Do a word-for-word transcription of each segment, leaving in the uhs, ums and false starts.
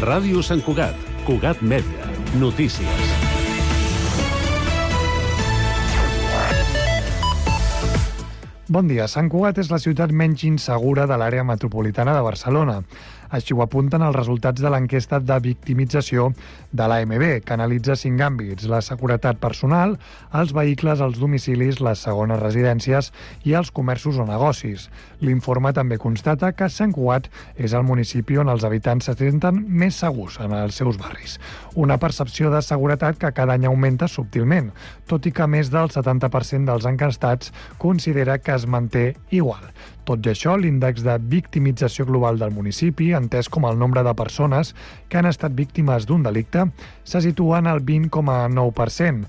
Ràdio Sant Cugat, Cugat Mèdia, notícies. Bon dia. Sant Cugat és la ciutat menys insegura de l'àrea metropolitana de Barcelona. Així ho apunten els resultats de l'enquesta de victimització de l'A M B, que analitza cinc àmbits: la seguretat personal, els vehicles, els domicilis, les segones residències i els comerços o negocis. L'informe també constata que Sant Cugat és el municipi on els habitants se senten més segurs en els seus barris. Una percepció de seguretat que cada any augmenta subtilment, tot i que més del setanta per cent dels enquestats considera que es manté igual. Tot i això, l'índex de victimització global del municipi, entès com el nombre de persones que han estat víctimes d'un delicte, se situa en el vint coma nou per cent,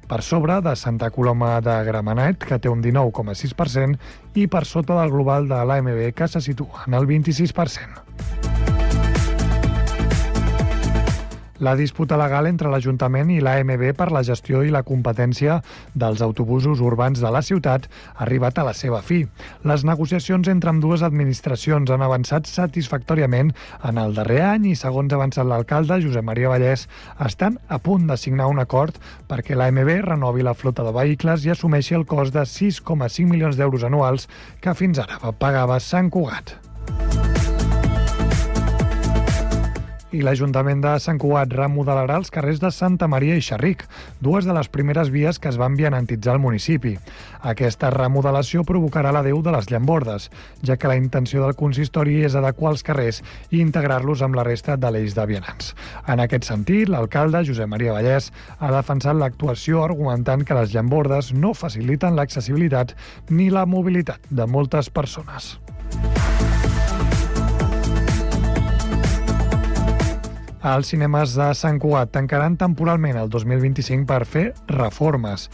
per sobre de Santa Coloma de Gramenet, que té un dinou coma sis per cent, i per sota del global de l'A M B, que se situa en el vint-i-sis per cent. La disputa legal entre l'Ajuntament i l'A M B per la gestió i la competència dels autobusos urbans de la ciutat ha arribat a la seva fi. Les negociacions entre ambdues administracions han avançat satisfactòriament en el darrer any i, segons ha avançat l'alcalde, Josep Maria Vallès, estan a punt de signar un acord perquè l'A M B renovi la flota de vehicles i assumeixi el cost de sis coma cinc milions d'euros anuals que fins ara pagava Sant Cugat. I l'Ajuntament de Sant Cugat remodelarà els carrers de Santa Maria i Xerric, dues de les primeres vies que es van vianantitzar al municipi. Aquesta remodelació provocarà l'adeu de les llambordes, ja que la intenció del consistori és adequar els carrers i integrar-los amb la resta de l'eix de vianants. En aquest sentit, l'alcalde, Josep Maria Vallès, ha defensat l'actuació argumentant que les llambordes no faciliten l'accessibilitat ni la mobilitat de moltes persones. Els cinemes de Sant Cugat tancaran temporalment el dos mil vint-i-cinc per fer reformes.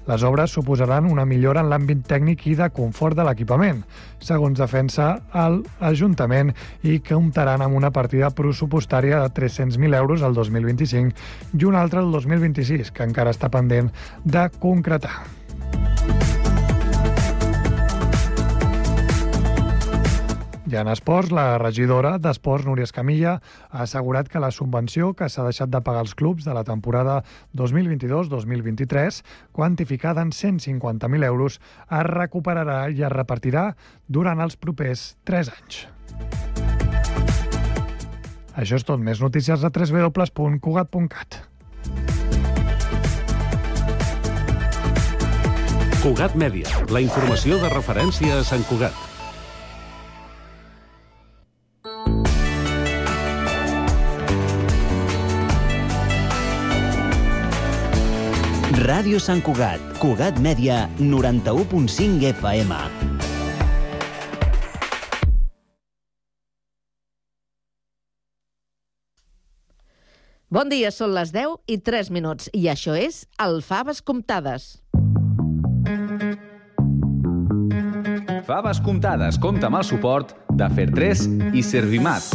Les obres suposaran una millora en l'àmbit tècnic i de confort de l'equipament, segons defensa l'Ajuntament, i comptaran amb una partida pressupostària de tres-cents mil euros el dos mil vint-i-cinc i una altra el dos mil vint-i-sis, que encara està pendent de concretar. I en esports, la regidora d'Esports, Núria Escamilla, ha assegurat que la subvenció que s'ha deixat de pagar als clubs de la temporada dos mil vint-i-dos dos mil vint-i-tres, quantificada en cent cinquanta mil euros, es recuperarà i es repartirà durant els propers tres anys. Això és tot. Més notícies a w w w punt cugat punt cat. Cugat Mèdia, la informació de referència a Sant Cugat. Ràdio Sant Cugat, Cugat Mèdia, noranta-u punt cinc F M. Bon dia, són les deu i tres minuts i això és el Faves Comptades. Faves Comptades compta amb el suport de Fer tres i Servimat.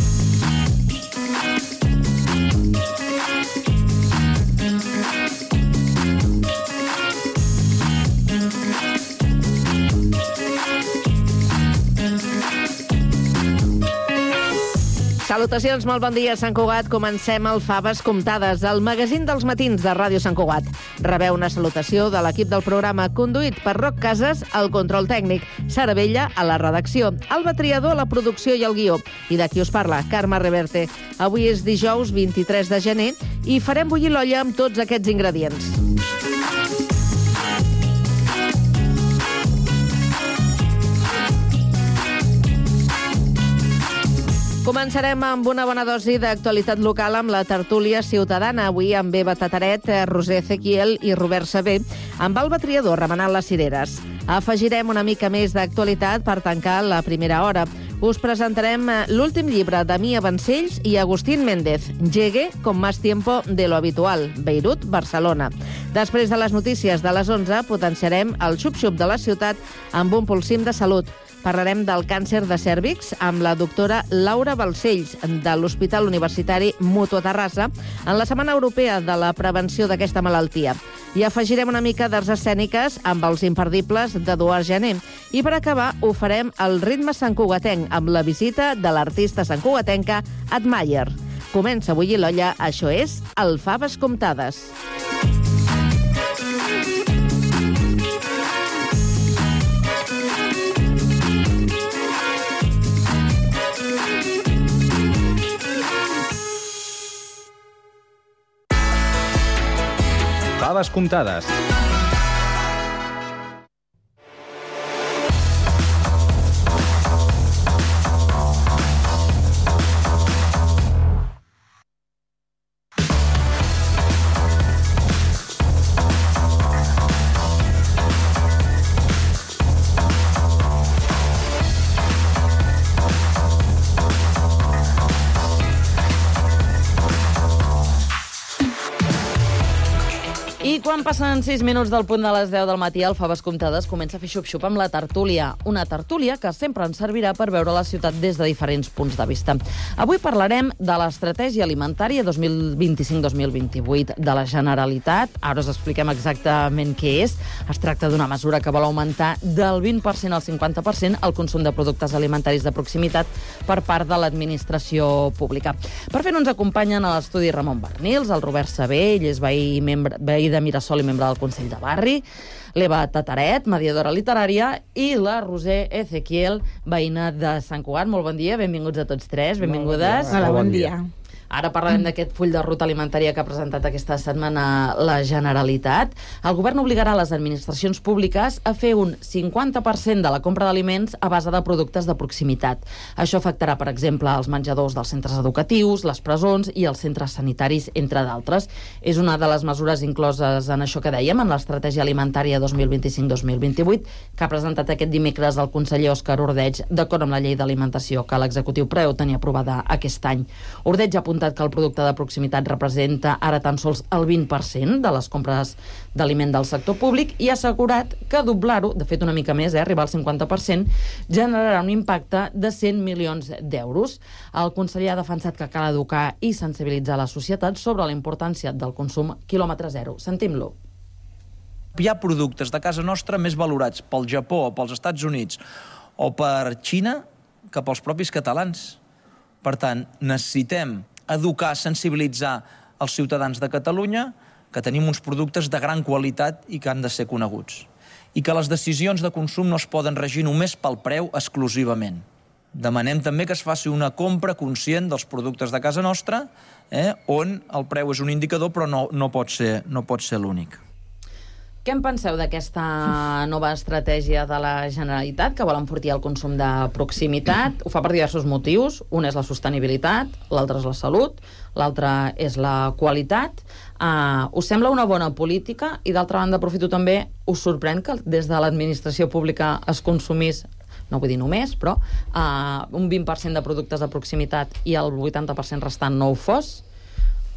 Salutacions, molt bon dia, Sant Cugat. Comencem el Faves Comptades, el magazín dels matins de Ràdio Sant Cugat. Rebeu una salutació de l'equip del programa, conduït per Roc Casas, al control tècnic, Sara Vella a la redacció, Alba Triador a la producció i el guió, i de qui us parla, Carme Reverte. Avui és dijous vint-i-tres de gener i farem bullir l'olla amb tots aquests ingredients. Començarem amb una bona dosi d'actualitat local amb la tertúlia ciutadana. Avui amb Eva Tataret, Roser Ezequiel i Robert Sabé, amb Alba Triador remenant les cireres. Afegirem una mica més d'actualitat per tancar la primera hora. Us presentarem l'últim llibre de Mia Vancells i Agustín Méndez, Llegue con más tiempo de lo habitual, Beirut, Barcelona. Després de les notícies de les onze, potenciarem el xup-xup de la ciutat amb un polsim de salut. Parlarem del càncer de cèrvix amb la doctora Laura Balcells, de l'Hospital Universitari Mutua Terrassa, en la Setmana Europea de la Prevenció d'aquesta malaltia. I afegirem una mica d'arts escèniques amb els imperdibles d'Eduard Jané. I per acabar, ho farem al ritme santcugatenc, amb la visita de l'artista santcugatenca Admayer. Comença a bullir l'olla, això és el Faves Comptades. Faves comptades. I quan passen sis minuts del punt de les deu del matí, el Faves Comptades comença a fer xup-xup amb la tertúlia. Una tertúlia que sempre ens servirà per veure la ciutat des de diferents punts de vista. Avui parlarem de l'estratègia alimentària dos mil vint-i-cinc dos mil vint-i-vuit de la Generalitat. Ara us expliquem exactament què és. Es tracta d'una mesura que vol augmentar del vint per cent al cinquanta per cent el consum de productes alimentaris de proximitat per part de l'administració pública. Per fer-ho ens acompanyen a l'estudi Ramon Barnils, el Robert Sabé, ell és veí, membre, veí de Mirasol i membre del Consell de Barri, l'Eva Tataret, mediadora literària, i la Roser Ezequiel, veïna de Sant Cugat. Molt bon dia, benvinguts a tots tres, benvingudes. Hola, bon dia. Ara parlarem d'aquest full de ruta alimentària que ha presentat aquesta setmana la Generalitat. El govern obligarà les administracions públiques a fer un cinquanta per cent de la compra d'aliments a base de productes de proximitat. Això afectarà, per exemple, els menjadors dels centres educatius, les presons i els centres sanitaris, entre d'altres. És una de les mesures incloses en això que dèiem, en l'estratègia alimentària dos mil vint-i-cinc dos mil vint-i-vuit, que ha presentat aquest dimecres el conseller Òscar Ordeig, d'acord amb la llei d'alimentació que l'executiu preveu tenir aprovada aquest any. Ordeig ha apuntat que el producte de proximitat representa ara tan sols el vint per cent de les compres d'aliment del sector públic i ha assegurat que doblar-ho, de fet una mica més, eh, arribar al cinquanta per cent, generarà un impacte de cent milions d'euros. El conseller ha defensat que cal educar i sensibilitzar la societat sobre la importància del consum quilòmetre zero. Sentim-lo. Hi ha productes de casa nostra més valorats pel Japó, pels Estats Units o per Xina que pels propis catalans. Per tant, necessitem educar, sensibilitzar els ciutadans de Catalunya que tenim uns productes de gran qualitat i que han de ser coneguts. I que les decisions de consum no es poden regir només pel preu exclusivament. Demanem també que es faci una compra conscient dels productes de casa nostra, eh, on el preu és un indicador però no, no pot ser, no pot ser l'únic. Què en penseu d'aquesta nova estratègia de la Generalitat que vol enfortir el consum de proximitat? Ho fa per diversos motius. Un és la sostenibilitat, l'altre és la salut, l'altre és la qualitat. Uh, us sembla una bona política? I d'altra banda, aprofito també, us sorprèn que des de l'administració pública es consumís, no vull dir només, però uh, un vint per cent de productes de proximitat i el vuitanta per cent restant no ho fos?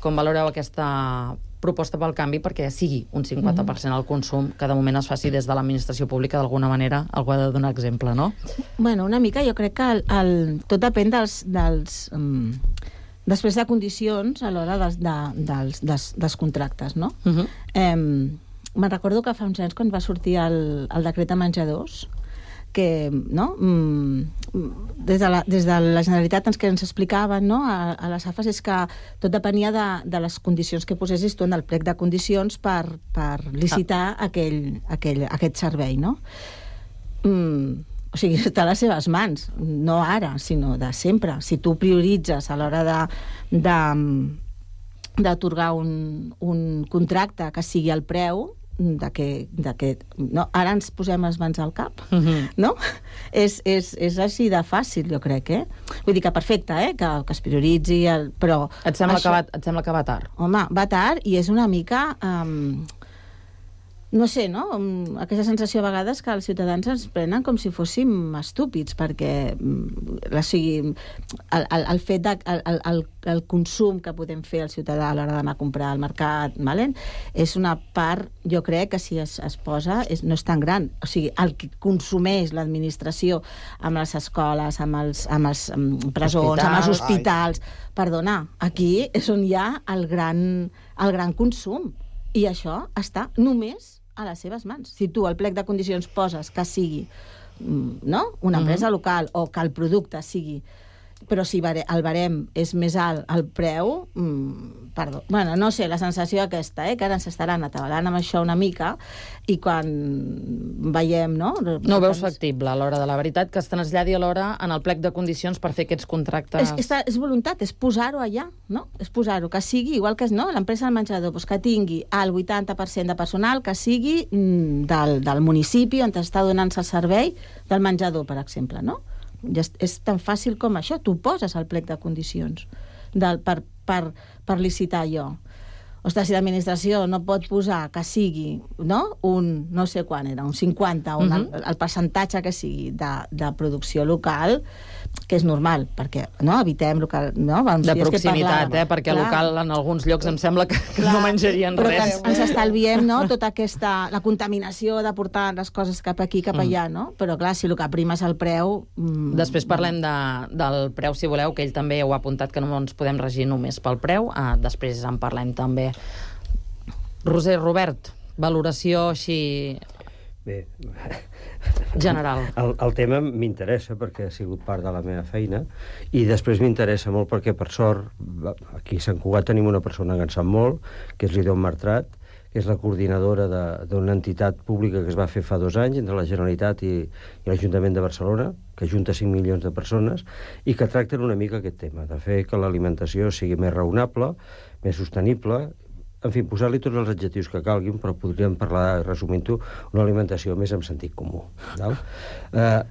Com valoreu aquesta proposta pel canvi perquè sigui un cinquanta per cent el consum que de moment es faci des de l'administració pública, d'alguna manera algú ha de donar exemple, no? Bueno, una mica jo crec que el, el, tot depèn dels, dels um, després de condicions a l'hora dels, de, dels, dels, dels contractes, no? Uh -huh. um, me'n recordo que fa uns anys quan va sortir el, el decret de menjadors que, no? Mm, des, de la, des de la Generalitat ens, que ens explicaven, no? a, a les A F A S és que tot depenia de, de les condicions que posessis tu en el plec de condicions per, per licitar ah. aquell, aquell, aquest servei, no? Mm, o sigui, està a les seves mans, no ara, sinó de sempre. Si tu prioritzes a l'hora de, de, d'atorgar un, un contracte que sigui el preu, de que, de que no, ara ens posem les mans al cap, uh-huh. no? És, és, és així de fàcil, jo crec, eh? Vull dir que perfecte, eh? Que, que es prioritzi, el, però... Et sembla, això, que va, et sembla que va tard? Home, va tard i és una mica... Um, no sé, no? Aquesta sensació a vegades que els ciutadans ens prenen com si fóssim estúpids, perquè o sigui, el, el, el fet de, el, el, el consum que podem fer el ciutadà a l'hora d'anar a comprar al mercat, vale? És una part, jo crec que si es, es posa, és, no és tan gran. O sigui, el que consumeix l'administració amb les escoles, amb els, amb els amb presons, Hospital. amb els hospitals... Ai. Perdona, aquí és on hi ha el gran, el gran consum. I això està només a les seves mans. Si tu al plec de condicions poses que sigui, no?, una empresa mm-hmm. local o que el producte sigui però si el barem és més alt el preu, mmm, perdó, bueno, no sé, la sensació aquesta, eh, que ara ens estaran atabalant amb això una mica, i quan veiem, no? No ho veus factible a l'hora de la veritat, que es traslladi a l'hora en el plec de condicions per fer aquests contractes... És, és, és voluntat, és posar-ho allà, no? És posar-ho, que sigui, igual que no, l'empresa del menjador, doncs que tingui el vuitanta per cent de personal que sigui mm, del, del municipi on està donant-se el servei del menjador, per exemple, no? Ja és, és tan fàcil com això, tu poses el plec de condicions del, per, per, per licitar allò. Ostres, si l'administració no pot posar que sigui, no? Un, no sé quan era, un cinquanta, un, uh-huh. el, el percentatge que sigui de, de producció local, que és normal, perquè no evitem local, no? De proximitat, eh? Perquè clar. Local en alguns llocs em sembla que clar. No menjarien però res. Però ens estalviem, no?, tota aquesta, la contaminació de portar les coses cap aquí, cap allà, no? Però clar, si el que prima és el preu... Mm, després parlem de, del preu, si voleu, que ell també ho ha apuntat, que no ens podem regir només pel preu. Ah, després en parlem també. Roser, Robert, valoració així... Bé, general. El, el tema m'interessa perquè ha sigut part de la meva feina i després m'interessa molt perquè, per sort, aquí a Sant Cugat tenim una persona que en sap molt, que és l'Idon Martrat, que és la coordinadora d'una entitat pública que es va fer fa dos anys entre la Generalitat i, i l'Ajuntament de Barcelona, que junta cinc milions de persones i que tracten una mica aquest tema, de fer que l'alimentació sigui més raonable, més sostenible, en fi, posar-li tots els adjectius que calguin, però podríem parlar, resumint-ho, una alimentació més en sentit comú. No? Eh,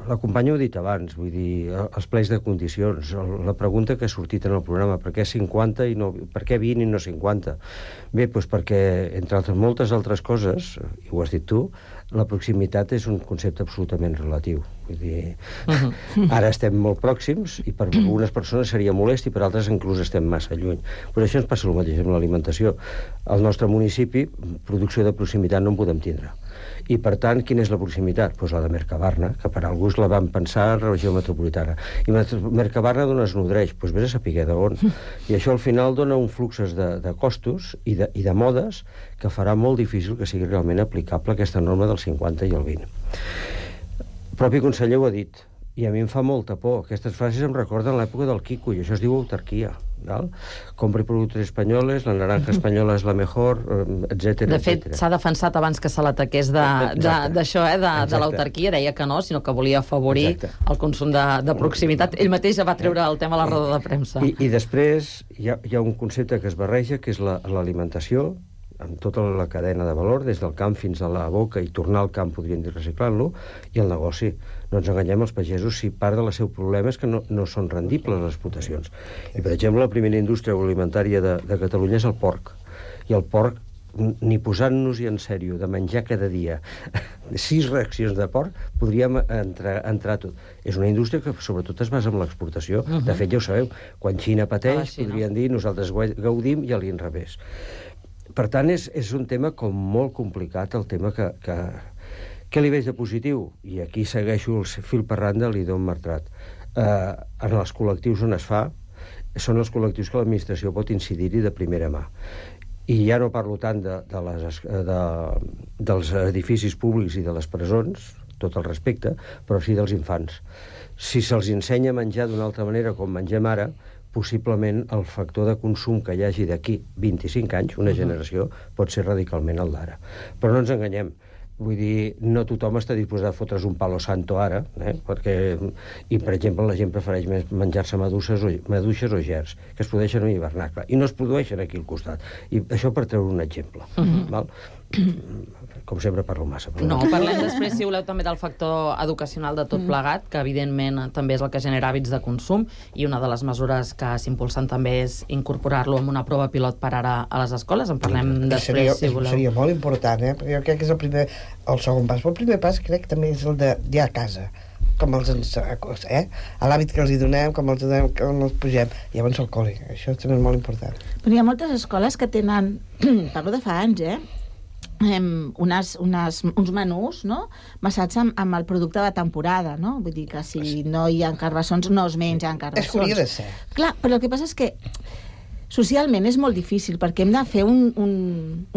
la companya ho ha dit abans, vull dir, els plecs de condicions, la pregunta que ha sortit en el programa, per què cinquanta i no, per què vint i no cinquanta? Bé, doncs perquè, entre altres, moltes altres coses, i ho has dit tu, la proximitat és un concepte absolutament relatiu. Vull dir, uh-huh. ara estem molt pròxims i per algunes persones seria molest i per altres inclús estem massa lluny. Però això ens passa el mateix amb l'alimentació. Al nostre municipi, producció de proximitat no en podem tindre. I, per tant, quina és la proximitat? Doncs la de Mercabarna, que per alguns la van pensar a la regió metropolitana. I Mercabarna d'on es nodreix? Doncs vés a saber d'on. I això al final dona un fluxes de, de costos i de, i de modes que farà molt difícil que sigui realment aplicable aquesta norma del cinquanta i el vint. El propi conseller ho ha dit, i a mi em fa molta por. Aquestes frases em recorden l'època del Quico, i això es diu autarquia. ¿no? Compri productes espanyoles, la naranja espanyola és la mejor, etcètera. De fet, s'ha defensat abans que se l'ataqués d'això, eh, de, de l'autarquia, deia que no, sinó que volia afavorir Exacte. el consum de, de proximitat. Ell mateix ja va treure el tema a la roda de premsa. I, i després hi ha, hi ha un concepte que es barreja, que és l'alimentació, la, amb tota la cadena de valor, des del camp fins a la boca, i tornar al camp, podríem dir, reciclant-lo, i el negoci. No ens enganyem, els pagesos, si part del seu problema és que no, no són rendibles les explotacions. I, per exemple, la primera indústria agroalimentària de, de Catalunya és el porc. I el porc, ni posant-nos-hi en sèrio de menjar cada dia sis reaccions de porc, podríem entrar, entrar tot. És una indústria que sobretot es basa en l'exportació. Uh-huh. De fet, ja ho sabeu, quan Xina pateix, ah, podrien dir, nosaltres gaudim i a l'inrevés. Per tant, és, és un tema com molt complicat, el tema que, que... Què li veig de positiu? I aquí segueixo el fil per randa de l'Idon Martrat. Eh, en els col·lectius on es fa, són els col·lectius que l'administració pot incidir-hi de primera mà. I ja no parlo tant de, de les, de, dels edificis públics i de les presons, tot el respecte, però sí dels infants. Si se'ls ensenya a menjar d'una altra manera com mengem ara, possiblement el factor de consum que hi hagi d'aquí vint-i-cinc anys, una generació, pot ser radicalment el d'ara. Però no ens enganyem. Vull dir, no tothom està disposat a fotre's un palo santo ara, eh? Perquè, i, per exemple, la gent prefereix menjar-se maduixes o, maduixes o gerds, que es produeixen en hivernacle, i no es produeixen aquí al costat. I això per treure un exemple. Uh-huh. Val? Com sempre parlo massa. Però... No, parlem després, si voleu, també del factor educacional de tot plegat, que evidentment també és el que genera hàbits de consum, i una de les mesures que s'impulsen també és incorporar-lo en una prova pilot per ara a les escoles. En parlem sí, després, seria, si voleu. Seria molt important, eh? Perquè jo crec que és el primer, el segon pas. Però el primer pas crec que també és el de ja a casa, com els ens, eh? A l'hàbit que els hi donem, com els donem, com els pugem, i llavors al col·le. Això també és molt important. Però hi ha moltes escoles que tenen, parlo de fa anys, eh? Um, unes, unes, uns menús, no?, basats en, en el producte de temporada, no? Vull dir que si no hi ha carbassons, no es mengen carbassons. És que hauria de ser. Clar, però el que passa és que socialment és molt difícil, perquè hem de fer un, un,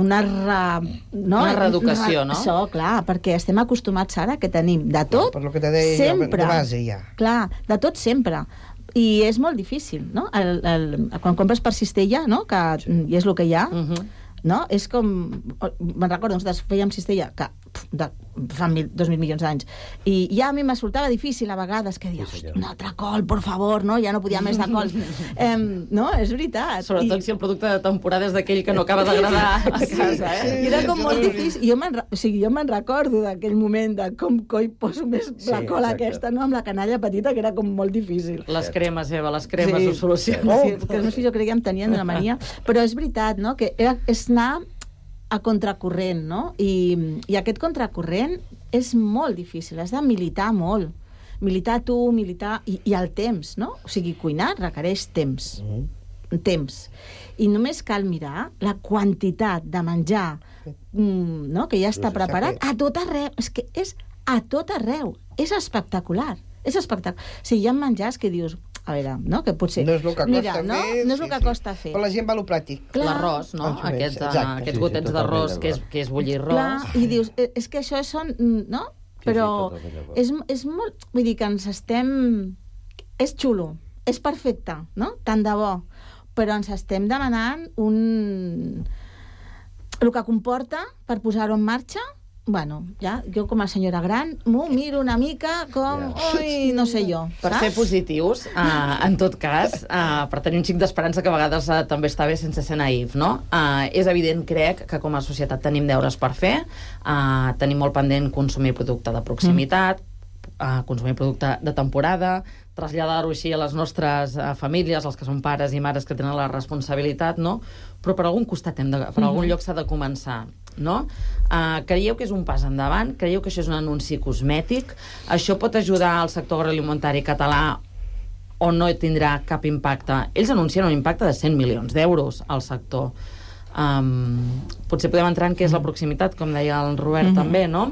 una, re, no? una reeducació, no? Això, clar, perquè estem acostumats ara que tenim de tot, per lo que te deia, sempre. De base, ja. Clar, de tot sempre. I és molt difícil, no? El, el, quan compres per cistella, no? Que, sí. I és el que hi ha, uh-huh. no? És com... Me'n recordo, nosaltres fèiem cistella que, de, fa mil, dos mil milions d'anys, i ja a mi m'escoltava difícil a vegades, que dius, sí, un altre col, por favor, no? Ja no podia més de cols. eh, no, és veritat. Sobretot I... si el producte de temporada és d'aquell que no acaba d'agradar a casa, eh? Sí, I era com molt difícil. Jo me'n o sigui, jo me'n recordo d'aquell moment de com coi poso més sí, la cola exacte. Aquesta, no? Amb la canalla petita, que era com molt difícil. Les cremes, Eva, les cremes sí. ho solucionen. Oh, sí, que els meus fills jo crec que em tenien una mania. Però és veritat, no?, que era, és anar a contracorrent, no? I, i aquest contracorrent és molt difícil, has de militar molt. Militar tu, militar... I, i el temps, no? O sigui, cuinar requereix temps. Mm. Temps. I només cal mirar la quantitat de menjar mm, no? que ja està preparat a tot arreu. És que és a tot arreu. És espectacular. És espectacular. O sigui, hi ha menjars que dius... A veure, no? Que potser... No és el que Mira, costa no? fer. No és el sí, que sí. costa fer. Però la gent va a lo pràctic. L'arròs, no? Aquest, uh, aquests sí, gotets sí, d'arròs, que és, que és bullir arròs. Clar, i dius, és que això són... No? Però sí, sí, és, és molt... Vull dir que ens estem... És xulo, és perfecte, no? Tant de bo. Però ens estem demanant un... El que comporta per posar-ho en marxa. Bueno, ja, jo com a senyora gran m'ho miro una mica com... Yeah. Ui, no sé jo. Per saps? Ser positius, uh, en tot cas, uh, per tenir un xic d'esperança que a vegades uh, també està bé sense ser naïf, no? Uh, és evident, crec, que com a societat tenim deures per fer, uh, tenim molt pendent consumir producte de proximitat, mm. uh, consumir producte de temporada, traslladar-ho així a les nostres uh, famílies, els que són pares i mares que tenen la responsabilitat, no? Però per algun costat, hem de, per algun mm-hmm. lloc s'ha de començar, no? Uh, creieu que és un pas endavant? Creieu que això és un anunci cosmètic? Això pot ajudar al sector agroalimentari català o no tindrà cap impacte? Ells anuncien un impacte de cent milions d'euros al sector. Um, potser podem entrar en què és la proximitat, com deia el Robert mm-hmm. també, no?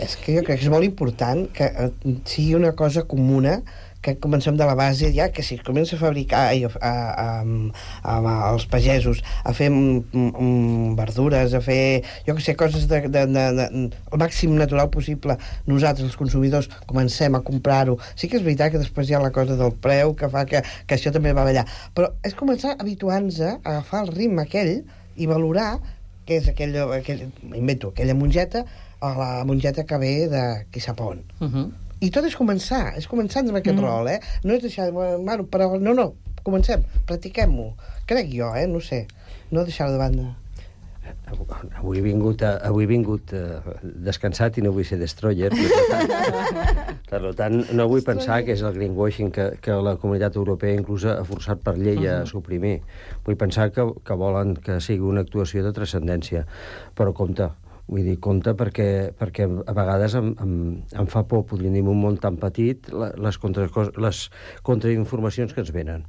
És que jo crec que és molt important que sigui una cosa comuna, que comencem de la base ja, que si comença a fabricar a, a, a, a, als pagesos a fer um, um, verdures, a fer, jo que sé, coses de, de, de, de, el màxim natural possible, nosaltres, els consumidors, comencem a comprar-ho. Sí que és veritat que després hi ha la cosa del preu que fa que, que això també va ballar, però és començar habituant-nos a agafar el ritme aquell i valorar que és aquell, aquell invento, aquella mongeta o la mongeta que ve de qui sap on. Uh-huh. I tot és començar, és començar amb aquest mm. rol, eh? No és deixar... Bueno, però no, no, comencem, practiquem-ho. Crec jo, eh? No sé. No deixar-ho de banda. Avui he vingut, a, avui he vingut uh, descansat i no vull ser destroyer. Per tant, per tant, no vull pensar que és el greenwashing que, que la comunitat europea inclús ha forçat per llei a suprimir. Vull pensar que, que volen que sigui una actuació de transcendència. Però compte, vull dir, compte perquè, perquè a vegades em, em, em fa por, podríem dir, un món tan petit, les, contra, les contrainformacions que ens venen.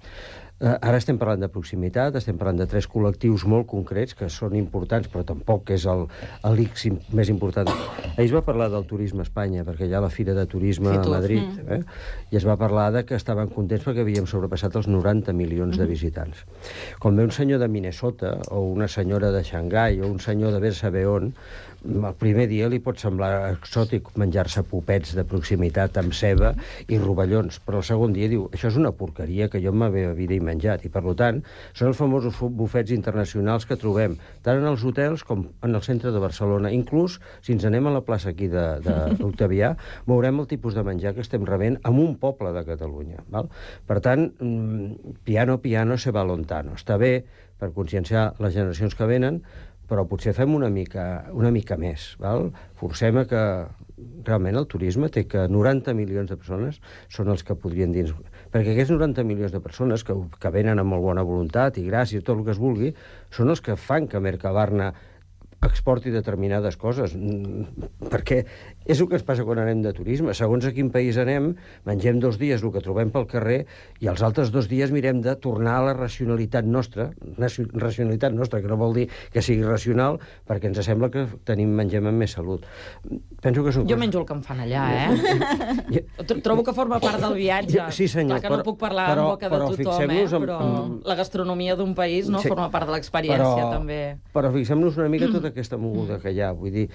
Uh, ara estem parlant de proximitat, estem parlant de tres col·lectius molt concrets que són importants, però tampoc és el, el l'X més important. Ahir es va parlar del turisme a Espanya, perquè hi ha la Fira de Turisme a Madrid, eh? I es va parlar de que estaven contents perquè havíem sobrepassat els noranta milions de visitants. Quan ve un senyor de Minnesota, o una senyora de Xangai, o un senyor de ver saber on, el primer dia li pot semblar exòtic menjar-se popets de proximitat amb ceba i rovellons, però el segon dia diu, això és una porqueria que jo en la meva vida he menjat, i per tant són els famosos bufets internacionals que trobem tant en els hotels com en el centre de Barcelona. Inclús, si ens anem a la plaça aquí de, de l'Octavià, veurem el tipus de menjar que estem rebent en un poble de Catalunya. Val? Per tant, piano, piano, se va lontano. Està bé per conscienciar les generacions que venen, però potser fem una mica, una mica més. Val? Forcem a que realment el turisme té que noranta milions de persones són els que podrien dir... Perquè aquests noranta milions de persones que, que venen amb molt bona voluntat i gràcia i tot el que es vulgui, són els que fan que Mercabarna exporti determinades coses, perquè és el que ens passa quan anem de turisme. Segons a quin país anem, mengem dos dies el que trobem pel carrer i els altres dos dies mirem de tornar a la racionalitat nostra, racionalitat nostra, que no vol dir que sigui racional, perquè ens sembla que tenim mengem amb més salut. Penso que són jo coses... menjo el que em fan allà, eh? Trobo que forma part del viatge. Sí, senyor. Clar que no però, puc parlar però, en boca de tothom, eh? En, però en... la gastronomia d'un país no sí, forma part de l'experiència, però, també. Però fixem-nos una mica tota aquesta moguda que hi ha. Vull dir,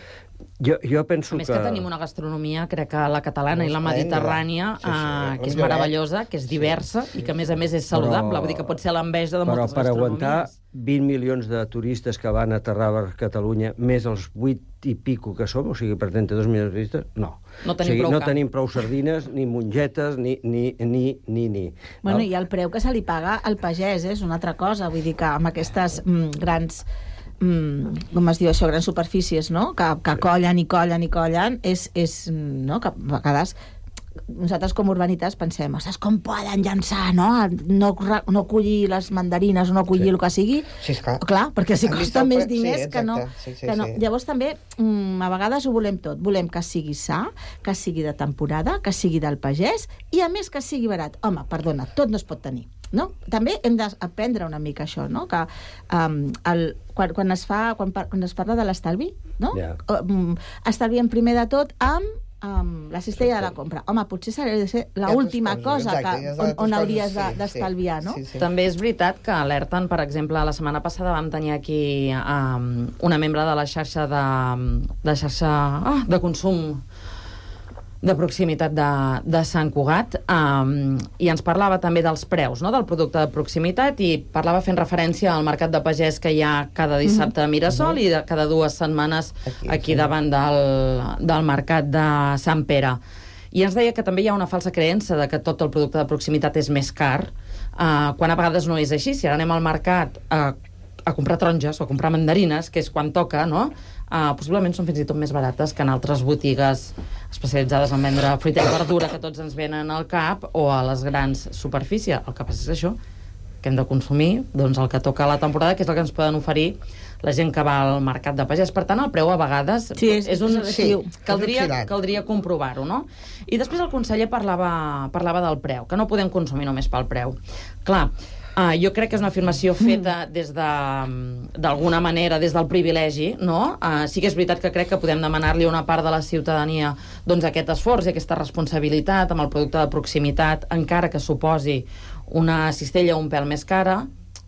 jo, jo penso a més que... que tenim una gastronomia, crec que la catalana i la mediterrània, sí, sí, eh, que és meravellosa, que és diversa sí, i que, a més a més, és saludable. Però, vull dir que pot ser l'enveja de moltes gastronomies. Però per aguantar vint milions de turistes que van aterrar a Catalunya, més els vuit i pico que som, o sigui, per trenta-dos milions de turistes, no. No tenim, o sigui, prou, no tenim prou sardines, ni mongetes, ni, ni, ni, ni, ni. Bueno, no? I el preu que se li paga al pagès és una altra cosa. Vull dir que amb aquestes mm, grans... Mm, com es diu això, grans superfícies, no? Que, que collen i collen i collen, és, és no? Que a vegades nosaltres com urbanites pensem, ostres, com poden llançar, no? No, no collir les mandarines o no collir sí. el que sigui. Sí, esclar. Clar, perquè si costa més diners sí, que no... Sí, sí, que no. Sí. Llavors també, mm, a vegades ho volem tot. Volem que sigui sa, que sigui de temporada, que sigui del pagès i, a més, que sigui barat. Home, perdona, tot no es pot tenir. No? També hem d'aprendre una mica això, no? Que um, el, quan, quan, es fa, quan, par, quan es parla de l'estalvi, no? Yeah. Um, estalviem primer de tot amb Um, la cistella de la compra. Home, potser s'ha de ser l'última cosa que, on, on hauries d'estalviar, sí, no? Sí, sí. També és veritat que alerten, per exemple, la setmana passada vam tenir aquí um, una membre de la xarxa de, de xarxa ah, de consum de proximitat de, de Sant Cugat, um, i ens parlava també dels preus, no?, del producte de proximitat, i parlava fent referència al mercat de pagès que hi ha cada dissabte a Mirasol mm-hmm. i de, cada dues setmanes aquí, aquí sí. davant del, del mercat de Sant Pere. I ens deia que també hi ha una falsa creença de que tot el producte de proximitat és més car, uh, quan a vegades no és així. Si ara anem al mercat a, a comprar taronges o a comprar mandarines, que és quan toca, no?, Uh, possiblement són fins i tot més barates que en altres botigues especialitzades en vendre fruita i verdura que tots ens venen al cap o a les grans superfícies. El que passa és això, que hem de consumir doncs, el que toca a la temporada, que és el que ens poden oferir la gent que va al mercat de pagès. Per tant, el preu a vegades sí, és, és un... Sí, caldria, caldria comprovar-ho, no? I després el conseller parlava, parlava del preu, que no podem consumir només pel preu. Clar, Uh, jo crec que és una afirmació feta des de, d'alguna manera, des del privilegi, no? Uh, sí que és veritat que crec que podem demanar-li a una part de la ciutadania doncs, aquest esforç i aquesta responsabilitat amb el producte de proximitat, encara que suposi una cistella un pèl més cara,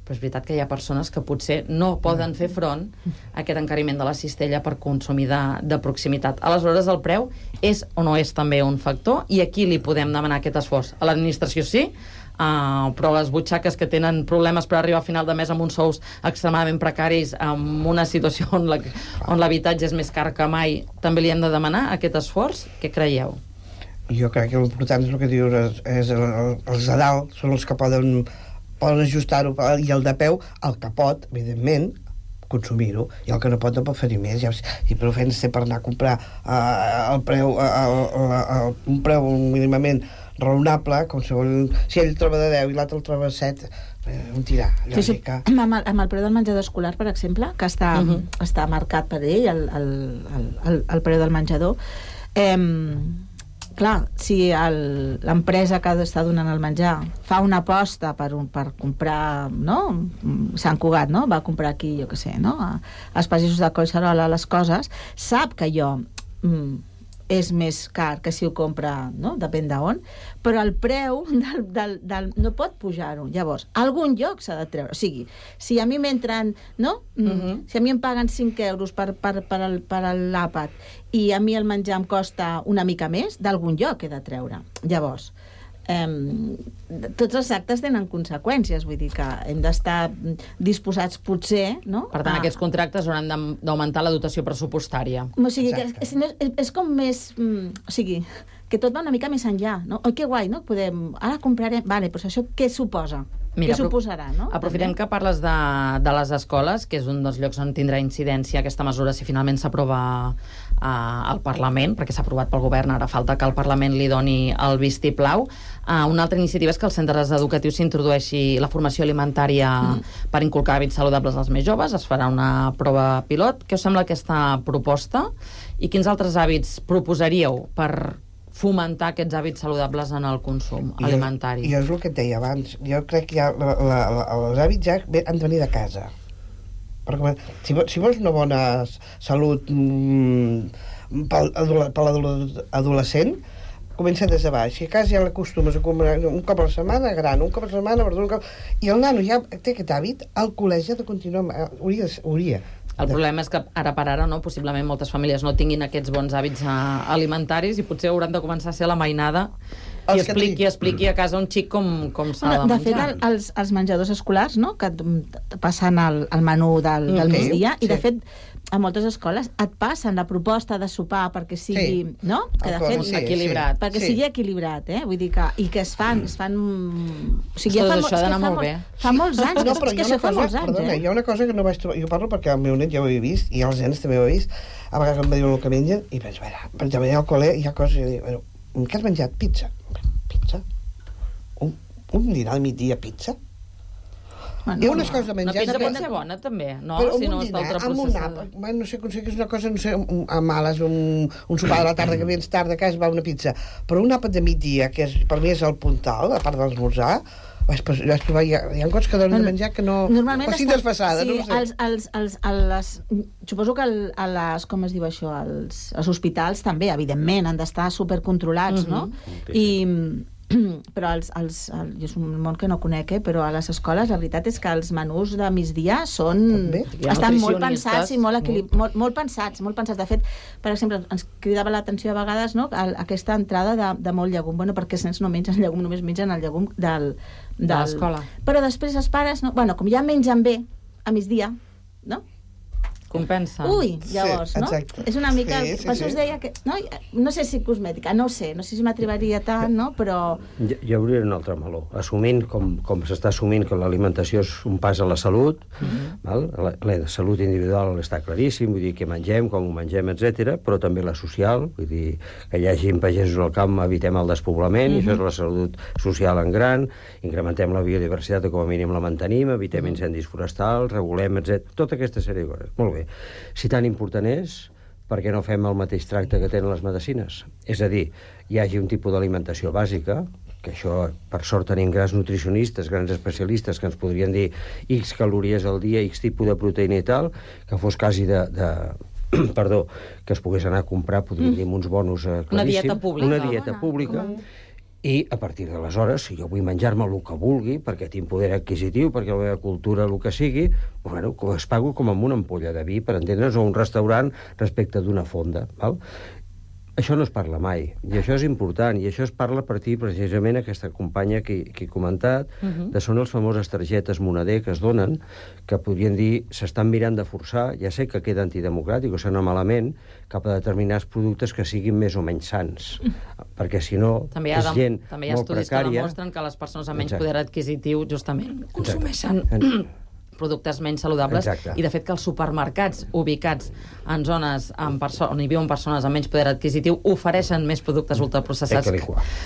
però és veritat que hi ha persones que potser no poden fer front a aquest encariment de la cistella per consumir de, de proximitat. Aleshores, el preu és o no és també un factor, i aquí li podem demanar aquest esforç. A l'administració sí, Uh, però les butxaques que tenen problemes per arribar a final de mes amb uns sous extremadament precaris, amb una situació on, la, on l'habitatge és més car que mai, també li hem de demanar aquest esforç? Què creieu? Jo crec que l'important és el que dius, és, és el, el, els de dalt són els que poden, poden ajustar-ho, i el de peu, el que pot, evidentment, consumir-ho, i el que no pot no pot fer-hi més. Ja, i prou feina ser per anar a comprar uh, el preu, uh, uh, uh, un preu mínimament raonable, com si, vol, si ell troba de deu i l'altre el troba de set, eh, un tirar, lògica. Sí, sí. Amb, el, amb el preu del menjador escolar, per exemple, que està, uh-huh. està marcat per ell, el, el, el, el, el preu del menjador, eh, clar, si el, l'empresa que està donant el menjar fa una aposta per, un, per comprar, no? Sant Cugat, no? Va comprar aquí, jo què sé, no? als pagesos de Collserola les coses, sap que jo... Mm, és més car que si ho compra, no? Depèn d'on, però el preu del, del, del, no pot pujar-ho. Llavors, algun lloc s'ha de treure. O sigui, si a mi m'entren, no? Uh-huh. Si a mi em paguen cinc euros per, per, per, el, per l'àpat i a mi el menjar em costa una mica més, d'algun lloc he de treure. Llavors, eh, tots els actes tenen conseqüències, vull dir que hem d'estar disposats potser, no? Per tant, a... aquests contractes hauran d'augmentar la dotació pressupostària. O sigui, que és, és, és com més... O sigui, que tot va una mica més enllà, no? Oi, que guai, no? Podem... Ara comprarem... Vale, però això què suposa? Mira, què suposarà, no? Aprofitem També. que parles de, de les escoles, que és un dels llocs on tindrà incidència aquesta mesura si finalment s'aprova uh, al Parlament, perquè s'ha aprovat pel govern, ara falta que el Parlament li doni el vistiplau. Uh, una altra iniciativa és que als centres educatius s'introdueixi la formació alimentària mm. per inculcar hàbits saludables als més joves. Es farà una prova pilot. Què us sembla aquesta proposta? I quins altres hàbits proposaríeu per fomentar aquests hàbits saludables en el consum I alimentari? I és el que et deia abans. Jo crec que ja la, la, la, els hàbits ja han de venir de casa. Perquè, si, si vols una bona salut mm, per, per l'adolescent, comença des de baix. Si a casa ja l'acostumes a comer un cop a la setmana, gran, un cop a la setmana, verdura, un cop... I el nano ja té aquest hàbit, al col·legi ha de continuar... Hauria, hauria El problema és que ara per ara, no, possiblement moltes famílies no tinguin aquests bons hàbits uh, alimentaris i potser hauran de començar a ser la mainada i expliqui, tenim... expliqui a casa un xic com, com s'ha bueno, de menjar. De fet, el, els, els menjadors escolars, no?, que passen el, el menú del, del Okay, migdia, sí. i de fet a moltes escoles et passen la proposta de sopar perquè sigui, Sí. no? Que de fet, Sí, equilibrat. perquè Sí. sigui equilibrat, eh? Vull dir que, i que es fan, es fan... O sigui, Ostres, ja fa, això ha és que d'anar fa molt bé. Fa molts anys, No, que, però és hi que ha això una fa cosa, molts anys, perdona, eh? hi ha una cosa que no vaig trobar, jo parlo perquè el meu net ja ho he vist i els nens també ho he vist, a vegades em diuen el que mengen i penso, a veure, per exemple, al col·le hi ha coses que dic, bueno, què has menjat? Pizza. Pizza? Un, un dinar al migdia pizza? Bueno, Hi ha unes coses de Una menjar... pizza que- pot ser bona, també, no? Però Si amb no un està dinar, amb un ultraprocessada. àpat, bueno, no sé, aconseguis una cosa, no sé, un- a males, un, un sopar de la tarda que vens tard a casa va una pizza, però un àpat de migdia, que és, per mi és el puntal, a part de l'esmorzar, vaig, vaig trobar, hi ha, hi ha coses que donen de menjar que no... Normalment o sigui, està- desfassada, sí, no ho sé. els, els, els, a les, suposo que el, a les, com es diu això, els, els hospitals també, evidentment, han d'estar supercontrolats, no? I, però els, els, el, és un món que no conec, eh? Però a les escoles la veritat és que els menús de migdia són, També. estan molt Nutricionistes. pensats i molt, equilib... molt, molt pensats, molt pensats. De fet, per exemple, ens cridava l'atenció a vegades, no?, el, aquesta entrada de, de molt llegum. Bueno, perquè els nens no mengen llegum, només mengen el llegum del, del... De l'escola. Però després els pares, no? Bueno, com ja mengen bé a migdia, no? Compensa. Ui, llavors, Sí, no? exacte. És una mica... Sí, sí, per això sí. us deia que... No, no sé si cosmètica, no ho sé, no sé si m'atrevaria tant, no? Però... Hi, hi hauria un altre meló. Assumint, com, com s'està assumint que l'alimentació és un pas a la salut, uh-huh. val? La, la salut individual està claríssim, vull dir que mengem, com ho mengem, etcètera, però també la social, vull dir que hi hagi pagesos al camp, evitem el despoblament, uh-huh. i això és la salut social en gran, incrementem la biodiversitat o com a mínim la mantenim, evitem uh-huh. incendis forestals, regulem, etcètera. Tota aquesta sèrie de coses. Molt bé. Si tan important és, per què no fem el mateix tracte que tenen les medicines? És a dir, hi hagi un tipus d'alimentació bàsica, que això, per sort, tenim grans nutricionistes, grans especialistes que ens podrien dir X calories al dia, X tipus de proteïna i tal, que fos quasi de... de perdó, que es pogués anar a comprar, podríem dir, amb uns bonus eh, claríssim. Una dieta pública. Una dieta pública. I a partir d'aleshores, si jo vull menjar-me el que vulgui, perquè tinc poder adquisitiu, perquè la meva cultura, el que sigui, bueno, es pago com amb una ampolla de vi, per entendre's, o un restaurant respecte d'una fonda, val? Això no es parla mai, i això és important, i això es parla a partir precisament aquesta companya que, que he comentat, uh-huh. de són les famoses targetes moneder que es donen, que podrien dir, s'estan mirant de forçar, ja sé que queda antidemocràtic o sona malament, cap a determinats productes que siguin més o menys sants, perquè si no També hi ha, és gent també hi ha molt estudis precària. que demostren que les persones amb menys Exacte. poder adquisitiu justament consumeixen Exacte. productes menys saludables. Exacte. I de fet que els supermercats ubicats en zones amb perso- on hi viuen persones amb menys poder adquisitiu ofereixen més productes ultraprocessats. Eh,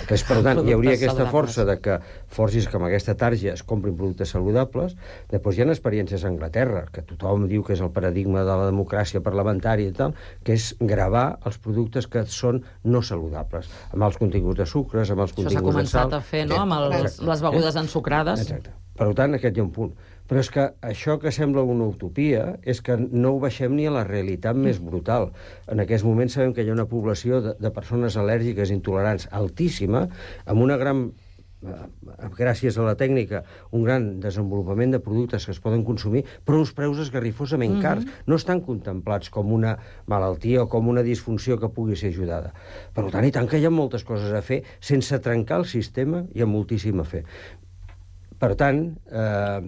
que és, per tant, hi hauria productes aquesta saludables. força de que forcis que amb aquesta tarja es comprin productes saludables. Després hi ha experiències a Anglaterra, que tothom diu que és el paradigma de la democràcia parlamentària i tal, que és gravar els productes que són no saludables, amb els continguts de sucres, amb els Això s'ha continguts de sal. començat a fer, no?, amb els, Exacte. les begudes ensucrades. Exacte. Per tant, aquest hi ha un punt. Però és que això que sembla una utopia és que no ho baixem ni a la realitat més brutal. En aquests moments sabem que hi ha una població de, de persones al·lèrgiques intolerants altíssima, amb una gran, eh, gràcies a la tècnica, un gran desenvolupament de productes que es poden consumir, però uns preus esgarrifosament cars. Mm-hmm. No estan contemplats com una malaltia o com una disfunció que pugui ser ajudada. Per tant, i tant que hi ha moltes coses a fer, sense trencar el sistema hi ha moltíssim a fer. Per tant, eh,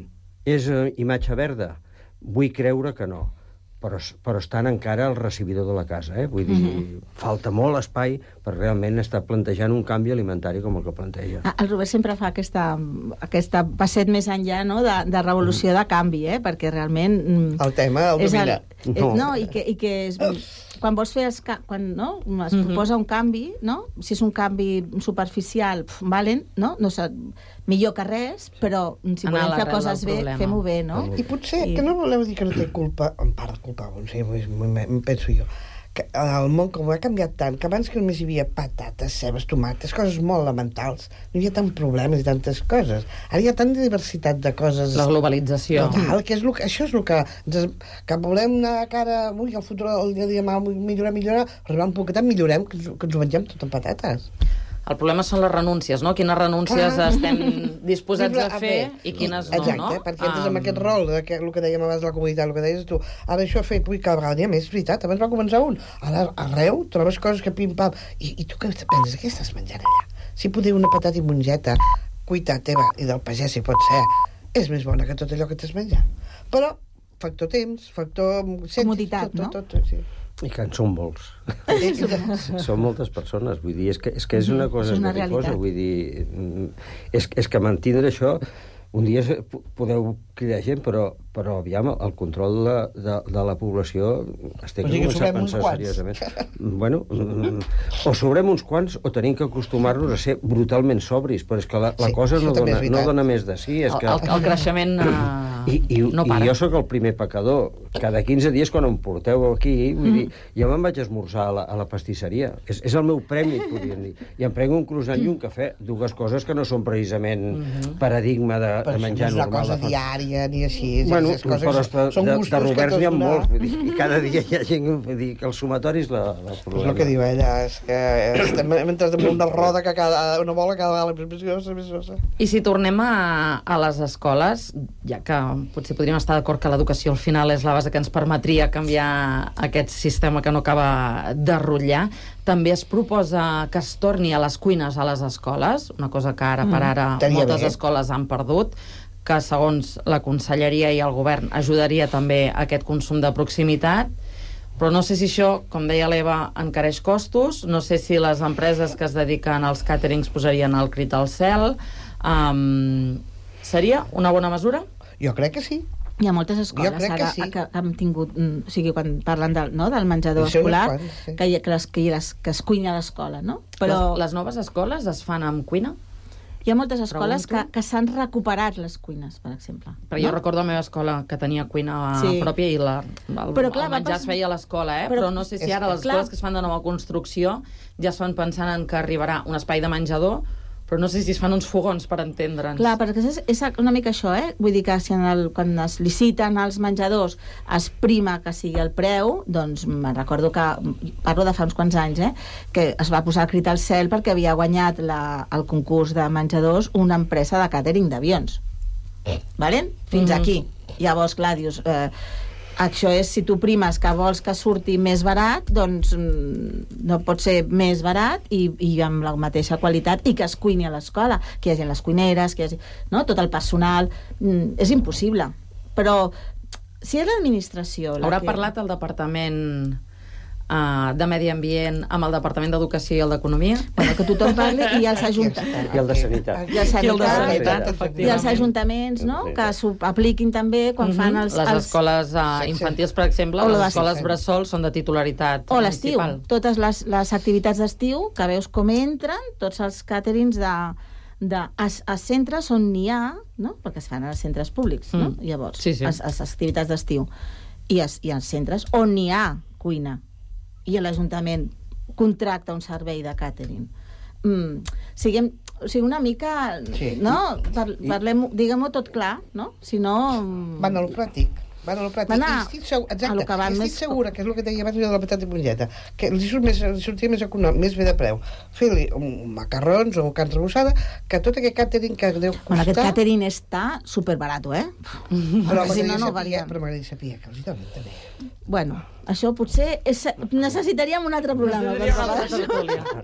és imatge verda? Vull creure que no. però, però estan encara al recibidor de la casa, eh? Vull dir, mm-hmm. falta molt espai per realment estar plantejant un canvi alimentari com el que planteja. El Robert sempre fa aquesta, aquesta passet més enllà, no?, de, de revolució, de canvi, eh? Perquè realment... El tema el domina. El, no. no, i que, i que és... Quan vols fer... Els, quan no, es mm-hmm. proposa un canvi, no? Si és un canvi superficial, pf, valen, no? No sé, millor que res, però si Anar volem fer coses bé, fem-ho bé, no? I potser, I... que no voleu dir que no té culpa, en part culpa, no sé, em penso jo, que el món com ha canviat tant, que abans que només hi havia patates, cebes, tomates, coses molt elementals, no hi havia tant problemes i tantes coses. Ara hi ha tanta diversitat de coses... La globalització. Total, que és lo, això és el que... Que volem anar a cara... Ui, el futur, el dia a dia, millorar, millorar, arribar un poquetat, millorem, que ens, que ens ho mengem tot en patates. El problema són les renúncies, no? Quines renúncies ah. estem disposats a fer i quines no, Exacte, no? Exacte, perquè entres um... amb aquest rol, que, el que dèiem abans de la comunitat, el que deies tu, ara això ha fet, ui, cada vegada n'hi ha més, és veritat, abans va començar un, ara arreu trobes coses que pim-pam, i, i tu què penses, què estàs menjant allà? Si poder una patata i mongeta, cuita teva i del pagès, si pot ser, és més bona que tot allò que t'has menjat. Però, factor temps, factor... Comoditat, tot, no? Tot, tot, tot, sí. I que en són molts. Són moltes persones, vull dir, és que és, que és una cosa és una esgarrifosa, vull dir, és, és que mantindre això, un dia podeu cridar gent, però, però aviam, el control de, de, de la població es té que començar a pensar seriosament. Bueno, o sobrem uns quants o tenim que acostumar-nos a ser brutalment sobris, però és que la, la sí, cosa no dona, no dona més de sí. És el, que... el, el creixement uh, I, i, no para. I jo sóc el primer pecador. Cada quinze dies, quan em porteu aquí, vull mm. dir, jo me'n vaig esmorzar a la, a la pastisseria. És, és el meu premi, podríem dir. I em prenc un croissant i un cafè, dues coses que no són precisament mm-hmm. paradigma de, de menjar normal. Però no és una cosa diària ni així. Bueno, és coses, però de, són de, gustos de Roberts n'hi ha una... molts, vull dir, i cada dia hi ha gent que vull dir, que el sumatori és la, la problema. És el que diu ella, és que estem mentre damunt una roda que cada, una bola cada vegada més grossa, més grossa. I si tornem a, a les escoles, ja que potser podríem estar d'acord que l'educació al final és la base que ens permetria canviar aquest sistema que no acaba de rotllar, també es proposa que es torni a les cuines a les escoles, una cosa que ara per ara mm, moltes bé. escoles han perdut, que segons la Conselleria i el Govern ajudaria també a aquest consum de proximitat, però no sé si això, com deia l'Eva, encareix costos, no sé si les empreses que es dediquen als càterings posarien el crit al cel. Um, seria una bona mesura? Jo crec que sí. Hi ha moltes escoles que ara sí. que han tingut, o sigui, quan parlen del, no, del menjador escolar, quants, sí. que, que, les, que, les, que es cuina a l'escola, no? Però les, les noves escoles es fan amb cuina? Hi ha moltes escoles que, que s'han recuperat les cuines, per exemple. Però no? Jo recordo la meva escola que tenia cuina sí. pròpia i la, el, però, clar, el menjar es feia a l'escola, eh? Però, però no sé si ara les escoles que es fan de nova construcció ja es fan pensant en que arribarà un espai de menjador, però no sé si es fan uns fogons per entendre'ns. Clar, perquè és, és una mica això, eh? Vull dir que si en el, quan es liciten els menjadors es prima que sigui el preu, doncs me'n recordo que, parlo de fa uns quants anys, eh? Que es va posar el crit al cel perquè havia guanyat la, el concurs de menjadors una empresa de càtering d'avions. Valen? Fins mm-hmm. aquí. Llavors, clar, dius... Eh, això és, si tu primes que vols que surti més barat, doncs no pot ser més barat i, i amb la mateixa qualitat i que es cuini a l'escola, que hi hagi les cuineres, que hi hagi, no? Tot el personal, és impossible. Però si és l'administració... Haurà que... parlat el departament uh, de Medi Ambient amb el departament d'Educació i el d'Economia? Bueno, que tothom parli i els ajuntaments... I el de Sanitat. I, el sanitat, I el de Sanitat, i els ajuntaments, no? Que s'ho apliquin també quan fan els... Les els... escoles uh, infantils, per exemple, les escoles bressol són de titularitat o l'estiu, municipal. Totes les, les activitats d'estiu, que veus com entren, tots els càterings de... de a, a centres on n'hi ha, no? Perquè es fan als centres públics, mm. no? Llavors, sí, sí. Les, les activitats d'estiu. I, es, I als centres on n'hi ha cuina i l'Ajuntament contracta un servei de càtering. Mm, siguem, o sigui, una mica... Sí. No? Par, parlem, diguem-ho tot clar, no? Si no... Van a lo pràctic. Van a lo pràctic. Van a, estic segur, exacte, que van estic més... segura, que és el que deia abans de la patata i mongeta, que li, surt més, li sortia més econòmic, més bé de preu. Fer-li macarrons o carn rebussada, que tot aquest càtering que deu costar... Bueno, aquest càtering està superbarato, eh? Però m'agradaria no, no saber, però m'agradaria saber que els hi donen també. Bueno, Això potser és, necessitaríem un altre programa.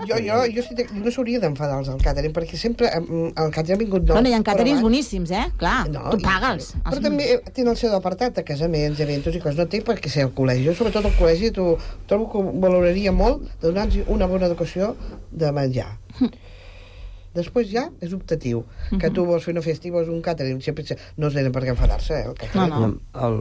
Jo, jo, jo sí, no s'hauria d'enfadar els del càtering, perquè sempre el càtering ha vingut... Bueno, hi ha càterings boníssims, eh? Clar, no, tu paga'ls. I, però també tenen el seu apartat de casaments, eventos i coses. No té per què ser al col·legi. Jo, sobretot al col·legi, tu, trobo que valoraria molt de donar-los una bona educació de menjar. Després ja és optatiu. Que tu vols fer una festa i vols un càtering, sempre no es tenen per què enfadar-se, eh? El, no, no. El,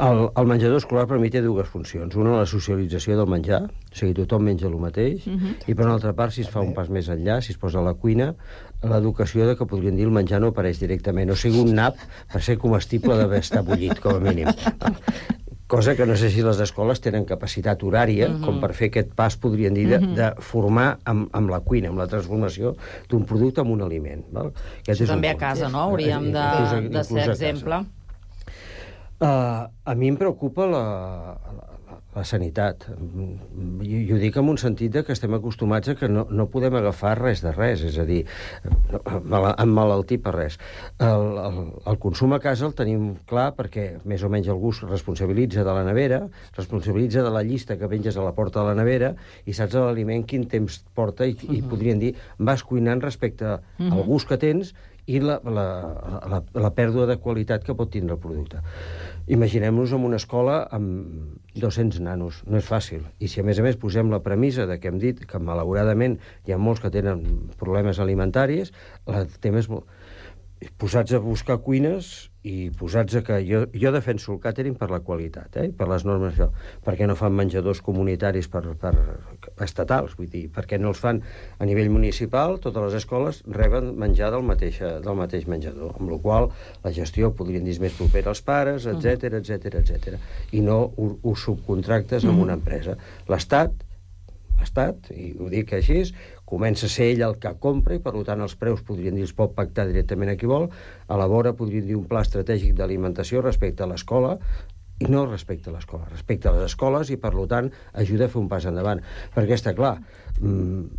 el, el menjador escolar per mi té dues funcions. Una, la socialització del menjar, o sigui, tothom menja el mateix, uh -huh. i per una altra part, si es fa un pas més enllà, si es posa a la cuina, l'educació de que podrien dir el menjar no apareix directament, o sigui, un nap per ser comestible d'haver estat bullit, com a mínim. Cosa que no sé si les escoles tenen capacitat horària, uh -huh. com per fer aquest pas, podrien dir, de, uh -huh. de formar amb, amb la cuina, amb la transformació d'un producte en un aliment. Val? Això també a casa, no? Hauríem de, inclús, de ser exemple. Uh, a mi em preocupa la, la, la sanitat. I, I ho dic en un sentit de que estem acostumats a que no, no podem agafar res de res, és a dir, emmalaltir per res. El, el, el consum a casa el tenim clar perquè més o menys algú es responsabilitza de la nevera, responsabilitza de la llista que penges a la porta de la nevera i saps l'aliment quin temps porta i, uh-huh. i podrien dir, vas cuinant respecte uh-huh. al gust que tens i la, la, la, la pèrdua de qualitat que pot tindre el producte. Imaginem-nos en una escola amb dos-cents nanos. No és fàcil. I si a més a més posem la premissa de que hem dit que malauradament hi ha molts que tenen problemes alimentaris, el tema és molt... posats a buscar cuines i posats a que... Jo, jo defenso el càtering per la qualitat, eh? Per les normes, això. Per què no fan menjadors comunitaris per, per estatals? Vull dir, per què no els fan a nivell municipal? Totes les escoles reben menjar del mateix, del mateix menjador, amb la qual la gestió podrien dir més propera als pares, etcètera, etcètera, etcètera. I no ho, ho subcontractes amb una empresa. L'Estat, l'Estat, i ho dic així, comença a ser ell el que compra i, per tant, els preus, podrien dir, els pot pactar directament a qui vol, elabora, podríem dir, un pla estratègic d'alimentació respecte a l'escola, i no respecte a l'escola, respecte a les escoles, i, per tant, ajuda a fer un pas endavant. Perquè està clar, mmm,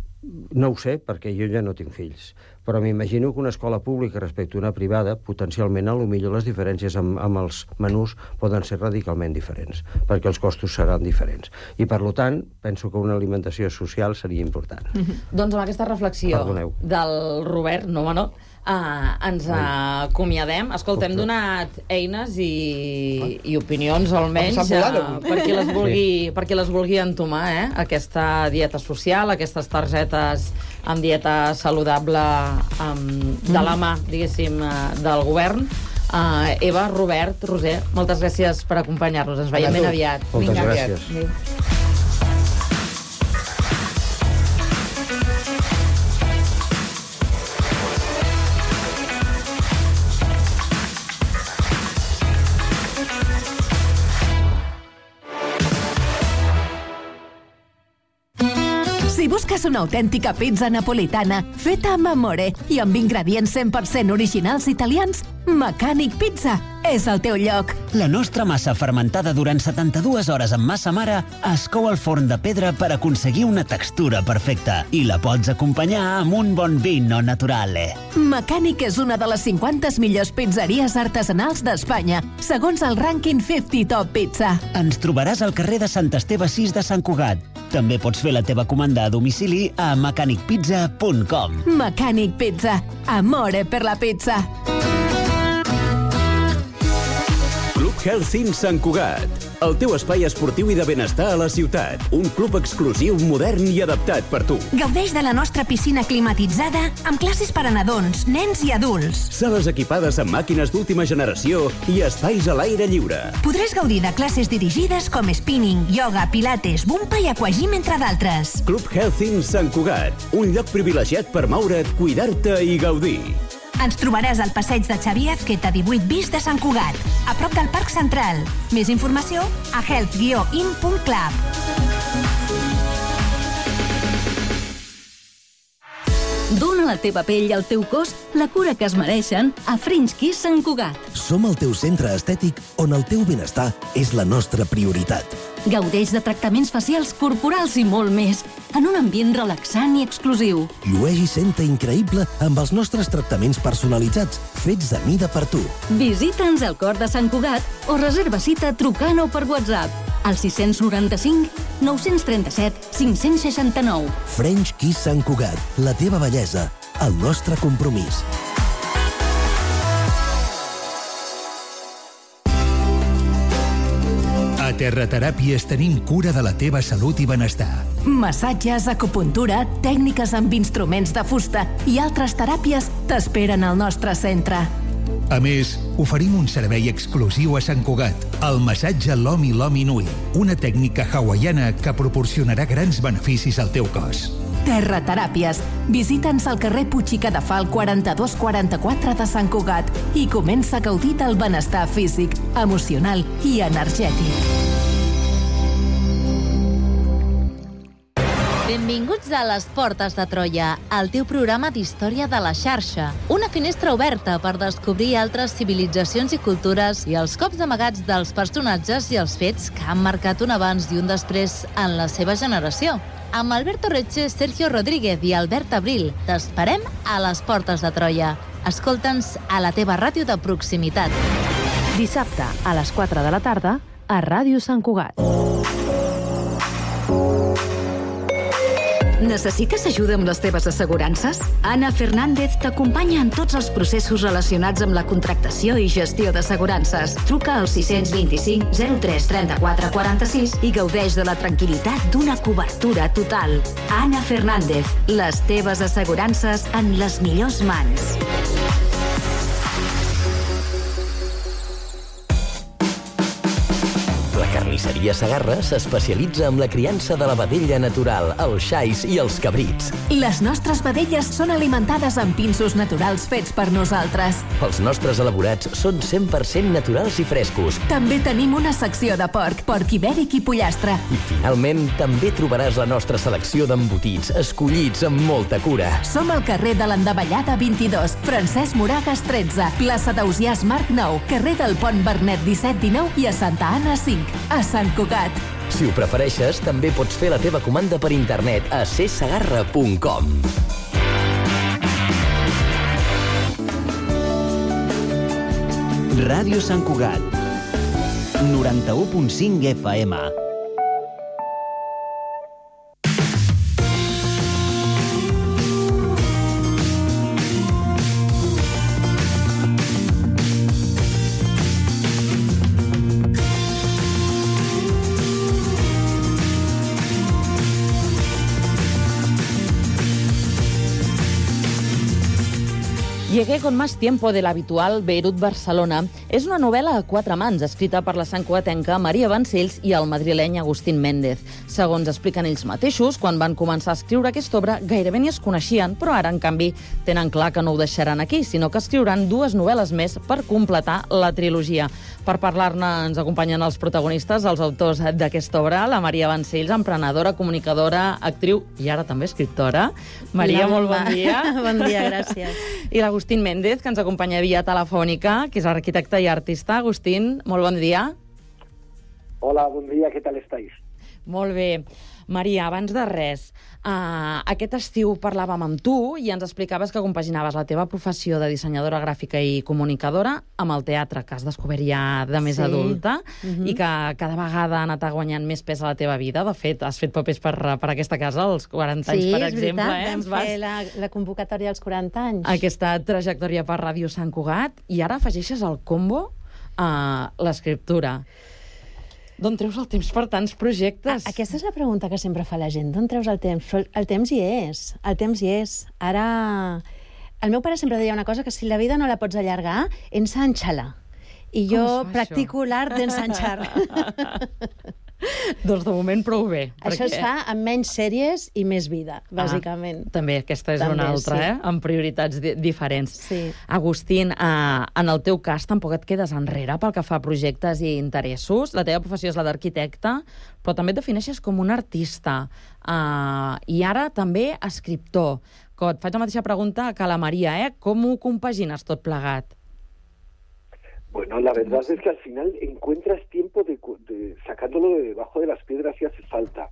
no ho sé, perquè jo ja no tinc fills, però m'imagino que una escola pública respecte a una privada, potencialment, a lo millor les diferències amb, amb els menús poden ser radicalment diferents, perquè els costos seran diferents. I, per tant, penso que una alimentació social seria important. Mm-hmm. Doncs amb aquesta reflexió Perdoneu. del Robert, no, no, Uh, ens uh, acomiadem. Escolta, hem donat eines i, i opinions, almenys, uh, per, qui les vulgui, per qui les vulgui entomar, eh? Aquesta dieta social, aquestes targetes amb dieta saludable um, de la mà, diguéssim, uh, del govern. Uh, Eva, Robert, Roser, moltes gràcies per acompanyar-nos. Ens veiem ben aviat. Moltes Vinga, gràcies. Aviat. Si busques una autèntica pizza napolitana feta amb amore i amb ingredients cent per cent originals italians, Mecànic Pizza és el teu lloc. La nostra massa fermentada durant setanta-dues hores amb massa mare es cou al forn de pedra per aconseguir una textura perfecta i la pots acompanyar amb un bon vino naturale. Mecànic és una de les cinquanta millors pizzeries artesanals d'Espanya, segons el rànquing cinquanta Top Pizza. Ens trobaràs al carrer de Sant Esteve sis de Sant Cugat. També pots fer la teva comanda a domicili a mecànic pizza punt com. Mecànic Pizza. Amore per la pizza. Club Healthin Sant Cugat, el teu espai esportiu i de benestar a la ciutat. Un club exclusiu, modern i adaptat per tu. Gaudeix de la nostra piscina climatitzada amb classes per a nadons, nens i adults. Sales equipades amb màquines d'última generació i espais a l'aire lliure. Podràs gaudir de classes dirigides com spinning, yoga, pilates, bumpa i aquagym, entre d'altres. Club Healthin Sant Cugat, un lloc privilegiat per moure't, cuidar-te i gaudir. Ens trobaràs al passeig de Xavier Azqueta divuit bis de Sant Cugat, a prop del Parc Central. Més informació a health guió in punt club. Dóna a la teva pell i al teu cos la cura que es mereixen a French Kiss Sant Cugat. Som el teu centre estètic on el teu benestar és la nostra prioritat. Gaudeix de tractaments facials, corporals i molt més, en un ambient relaxant i exclusiu. Llueix i senta increïble amb els nostres tractaments personalitzats, fets a mida per tu. Visita'ns al cor de Sant Cugat o reserva cita trucant o per WhatsApp. al sis nou cinc, nou tres set, cinc sis nou. French Kiss Sant Cugat, la teva bellesa, el nostre compromís. A Terrateràpies tenim cura de la teva salut i benestar. Massatges, acupuntura, tècniques amb instruments de fusta i altres teràpies t'esperen al nostre centre. A més, oferim un servei exclusiu a Sant Cugat, el massatge Lomi Lomi Nui, una tècnica hawaiana que proporcionarà grans beneficis al teu cos. Terrateràpies. Visita'ns al carrer Puig i Cadafal quaranta-dos quaranta-quatre de Sant Cugat i comença a gaudir del benestar físic, emocional i energètic. Benvinguts a Les Portes de Troia, el teu programa d'història de la xarxa. Una finestra oberta per descobrir altres civilitzacions i cultures i els cops amagats dels personatges i els fets que han marcat un abans i un després en la seva generació. Amb Alberto Reche, Sergio Rodríguez i Albert Abril, t'esperem a Les Portes de Troia. Escolta'ns a la teva ràdio de proximitat. Dissabte, a les quatre de la tarda, a Ràdio Sant Cugat. Necessites ajuda amb les teves assegurances? Anna Fernández t'acompanya en tots els processos relacionats amb la contractació i gestió d'assegurances. Truca al sis dos cinc, zero tres, trenta-quatre, quaranta-sis i gaudeix de la tranquil·litat d'una cobertura total. Anna Fernández, les teves assegurances en les millors mans. Carnisseria Segarra s'especialitza en la criança de la vedella natural, els xais i els cabrits. Les nostres vedelles són alimentades amb pinsos naturals fets per nosaltres. Els nostres elaborats són cent per cent naturals i frescos. També tenim una secció de porc, porc ibèric i pollastre. I finalment, també trobaràs la nostra selecció d'embotits, escollits amb molta cura. Som al carrer de l'Endavellada vint-i-dos, Francesc Moragas tretze, plaça d'Ausiàs Marc nou, carrer del Pont Vernet disset dinou i a Santa Anna cinc. A Sant Cugat. Si ho prefereixes, també pots fer la teva comanda per internet a c segarra punt com. Ràdio Sant Cugat, noranta-u punt cinc F M. Llegué con más tiempo del habitual Beirut Barcelona és una novel·la a quatre mans, escrita per la santcugatenca Maria Vancells i el madrileny Agustín Méndez. Segons expliquen ells mateixos, quan van començar a escriure aquesta obra gairebé ni es coneixien, però ara, en canvi, tenen clar que no ho deixaran aquí, sinó que escriuran dues novel·les més per completar la trilogia. Per parlar-ne ens acompanyen els protagonistes, els autors d'aquesta obra, la Maria Vancells, emprenedora, comunicadora, actriu i ara també escriptora. Maria, Hola, molt bon dia. Bon dia, gràcies. I l'Agustín Méndez, que ens acompanya via telefònica, que és arquitecte i artista. Agustín, molt bon dia. Hola, bon dia, què tal estáis? Molt bé. Maria, abans de res, uh, aquest estiu parlàvem amb tu i ens explicaves que compaginaves la teva professió de dissenyadora gràfica i comunicadora amb el teatre, que has descobert ja de més Sí. adulta Mhm. i que cada vegada ha anat guanyant més pes a la teva vida. De fet, has fet papers per, per aquesta casa als quaranta anys, Sí, per és exemple. veritat, Eh? vam Ens vas... fer la, la convocatòria als quaranta anys. Aquesta trajectòria per Ràdio Sant Cugat i ara afegeixes al combo uh, l'escriptura. D'on treus el temps per tants projectes? A, aquesta és la pregunta que sempre fa la gent. D'on treus el temps? Però el temps hi és. El temps hi és. Ara... El meu pare sempre deia una cosa, que si la vida no la pots allargar, ensanxa-la. I Com jo es fa, practico l'art d'ensanxar. Doncs de moment prou bé. Això es fa amb menys sèries i més vida, bàsicament. Ah, també, aquesta és També, una altra, sí. eh? Amb prioritats di diferents. Sí. Agustín, eh, en el teu cas tampoc et quedes enrere pel que fa a projectes i interessos. La teva professió és la d'arquitecte, però també et defineixes com un artista. Eh, I ara també escriptor. Que et faig la mateixa pregunta que a la Maria, eh? Com ho compagines tot plegat? Bueno, la verdad es que al final encuentras tiempo de, de sacándolo de debajo de las piedras si hace falta.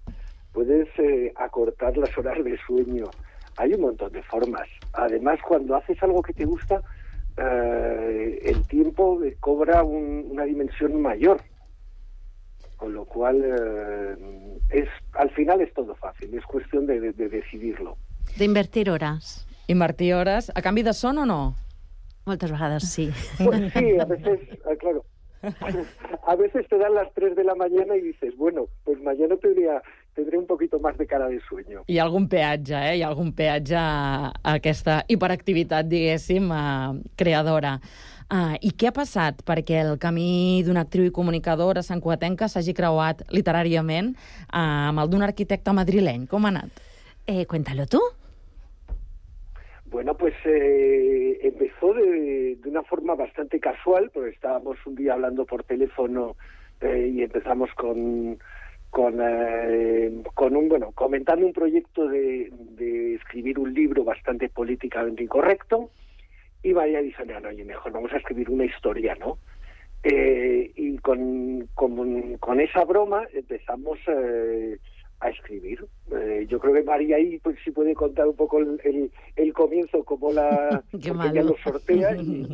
Puedes eh, acortar las horas de sueño. Hay un montón de formas. Además, cuando haces algo que te gusta, eh, el tiempo cobra un, una dimensión mayor. Con lo cual, eh, es, al final es todo fácil, es cuestión de, de, de decidirlo. D'invertir hores. Invertir hores a canvi de son o no? Moltes vegades sí. Pues sí, a veces, eh, claro, a veces te dan las tres de la mañana y dices, bueno, pues mañana tendría, tendré un poquito más de cara de sueño. Hi ha algun peatge, eh? Hi ha algun peatge a aquesta hiperactivitat, diguéssim, eh, creadora. Uh, I què ha passat perquè el camí d'una actriu i comunicadora santcugatenca s'hagi creuat literàriament uh, amb el d'un arquitecte madrileny? Com ha anat? Eh, cuéntalo tú. Bueno, pues eh, empezó de, de una forma bastante casual, porque estábamos un día hablando por teléfono eh, y empezamos con, con, eh, con un, bueno, comentando un proyecto de, de escribir un libro bastante políticamente incorrecto. Y María dice, no, no, oye, mejor vamos a escribir una historia, ¿no? Eh, y con, con, con esa broma empezamos eh, a escribir. Eh, yo creo que María ahí pues sí puede contar un poco el, el, el comienzo, cómo la... Qué porque ella lo sortea y...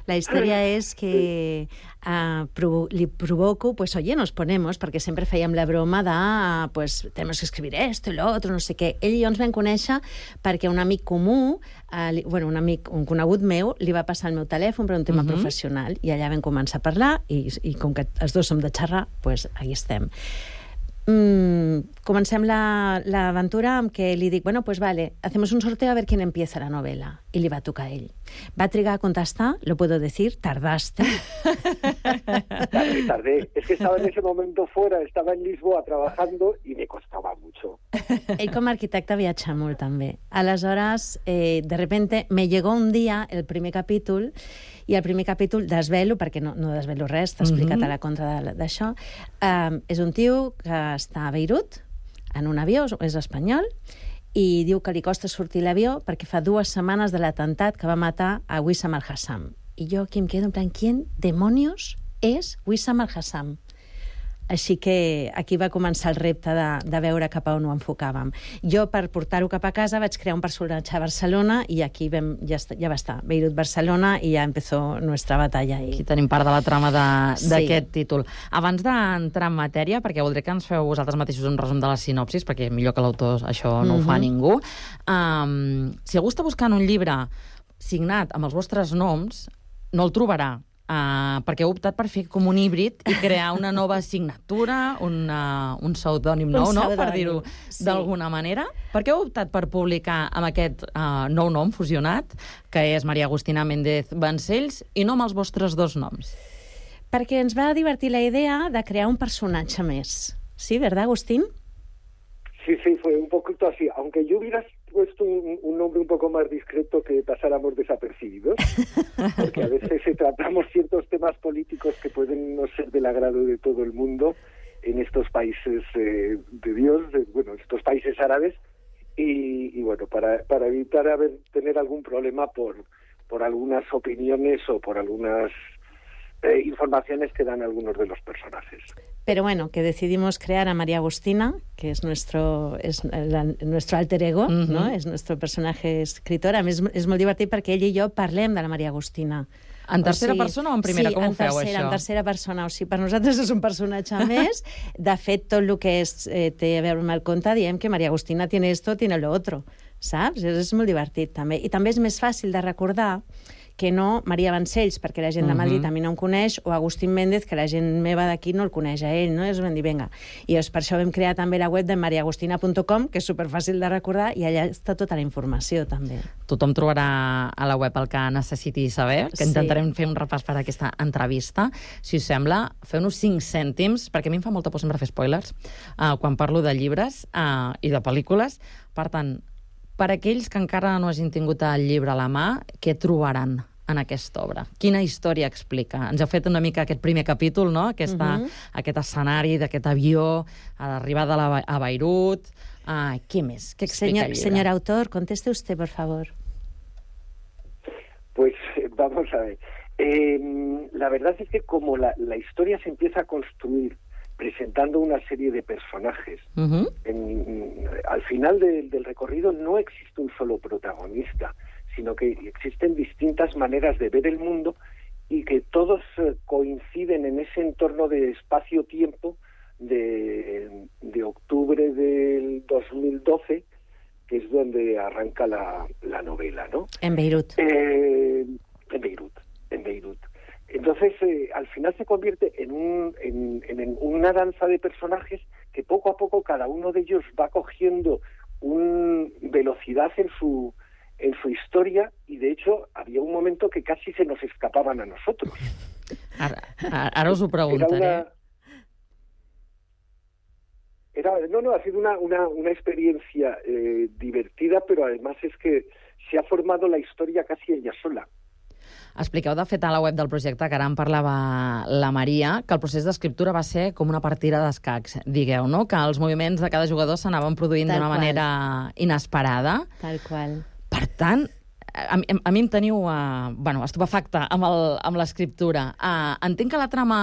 La història és que uh, provo li provoco, pues oye, nos ponemos, perquè sempre fèiem la broma de, uh, pues, tenemos que escribir esto y lo otro, no sé què. Ell i jo ens vam conèixer perquè un amic comú, uh, li, bueno, un amic, un conegut meu, li va passar el meu telèfon per un tema uh-huh. professional, i allà vam començar a parlar, i, i com que els dos som de xerrar, pues aquí estem. Mm, comencem l'aventura amb que li dic, bueno, pues vale, hacemos un sorteo a ver quién empieza la novela. I li va tocar a ell. Va trigar a contestar, lo puedo decir, tardaste. Tardé, tardé. Es que estaba en ese momento fuera, estaba en Lisboa trabajando y me costaba mucho. Ell com a arquitecte viatja molt, també. Aleshores, eh, de repente, me llegó un dia el primer capítol, i el primer capítol desvelo, perquè no, no desvelo res, t'he explicat mm-hmm. a la contra d'això. Um, és un tio que està a Beirut, en un avió, és espanyol, i diu que li costa sortir l'avió perquè fa dues setmanes de l'atemptat que va matar a Wissam al-Hassam. I jo aquí em quedo en plan, ¿quién demonios és Wissam al-Hassam? Així que aquí va començar el repte de, de veure cap a on ho enfocàvem. Jo, per portar-ho cap a casa, vaig crear un personatge a Barcelona i aquí vam, ja, ja va estar, Beirut-Barcelona, i ja empezó nuestra batalla. I... Aquí tenim part de la trama d'aquest sí. títol. Abans d'entrar en matèria, perquè voldré que ens feu vosaltres mateixos un resum de la sinopsis, perquè millor que l'autor això no mm-hmm. ho fa ningú. Um, si algú està buscant un llibre signat amb els vostres noms, no el trobarà. Uh, perquè heu optat per fer com un híbrid i crear una nova signatura, una, un pseudònim nou, no? Per dir-ho sí. d'alguna manera. Per què heu optat per publicar amb aquest uh, nou nom fusionat, que és María Agustina Méndez Vancells, i no amb els vostres dos noms? Perquè ens va divertir la idea de crear un personatge més. Sí, ¿verdad, Agustín? Sí, sí, fue un poquito así. Aunque yo hubiera puesto un, un nombre un poco más discreto que pasáramos desapercibidos, porque a veces tratamos ciertos temas políticos que pueden no ser del agrado de todo el mundo en estos países eh, de Dios, de, bueno, estos países árabes, y, y bueno, para, para evitar haber, tener algún problema por, por algunas opiniones o por algunas eh, informaciones que dan algunos de los personajes. Pero bueno, que decidimos crear a María Agustina, que es nuestro, es la, nuestro alter ego, uh-huh. no? És nuestro personatge escritor. A més, és molt divertit perquè ell i jo parlem de la María Agustina. En tercera o sigui, persona o en primera? Sí, com ho feu, tercera, això? en tercera persona. O sigui, per nosaltres és un personatge més. De fet, tot el que és, eh, té a veure amb el conte, diem que María Agustina tiene esto, tiene lo otro. Saps? És, és molt divertit, també. I també és més fàcil de recordar que no Maria Vancells, perquè la gent de Madrid uh-huh. a mi no em coneix, o Agustín Méndez, que la gent meva d'aquí no el coneix a ell, no? I us vam dir, vinga. I llavors, per això vam crear també la web de maria agustina punt com, que és superfàcil de recordar, i allà està tota la informació, també. Tothom trobarà a la web el que necessiti saber, que intentarem sí. fer un repàs per a aquesta entrevista. Si us sembla, feu-nos cinc cèntims, perquè a mi em fa molta por sempre fer spoilers, uh, quan parlo de llibres uh, i de pel·lícules. Per tant, per aquells que encara no hagin tingut el llibre a la mà, què trobaran en aquesta obra? Quina història explica? Ens heu fet una mica aquest primer capítol, no? Aquesta, uh-huh. Aquest escenari d'aquest avió, a l'arribada a, a Beirut... Ah, què més? Què explica señor, el llibre? Señor autor, conteste usted, por favor. Pues vamos a ver. Eh, la verdad es que como la, la historia se empieza a construir presentando una serie de personajes, uh-huh. en, al final de, del recorrido no existe un solo protagonista, sino que existen distintas maneras de ver el mundo y que todos eh, coinciden en ese entorno de espacio-tiempo de, de octubre del dos mil doce, que es donde arranca la, la novela, ¿no? En Beirut. Eh, en Beirut, en Beirut. Entonces, eh, al final se convierte en, un, en, en una danza de personajes que poco a poco cada uno de ellos va cogiendo una velocidad en su, en su historia, y de hecho había un momento que casi se nos escapaban a nosotros. Ara, ara us ho preguntaré. Era una... Era, no, no, ha sido una, una, una experiencia eh, divertida, pero además es que se ha formado la historia casi ella sola. Expliqueu, de fet, a la web del projecte, que ara en parlava la Maria, que el procés d'escriptura va ser com una partida d'escacs, digueu, no? Que els moviments de cada jugador s'anaven produint d'una manera inesperada. Tal qual. Per tant, a, mi- a mi em teniu uh, bueno, estupefacta amb el- amb l'escriptura. Uh, entenc que la trama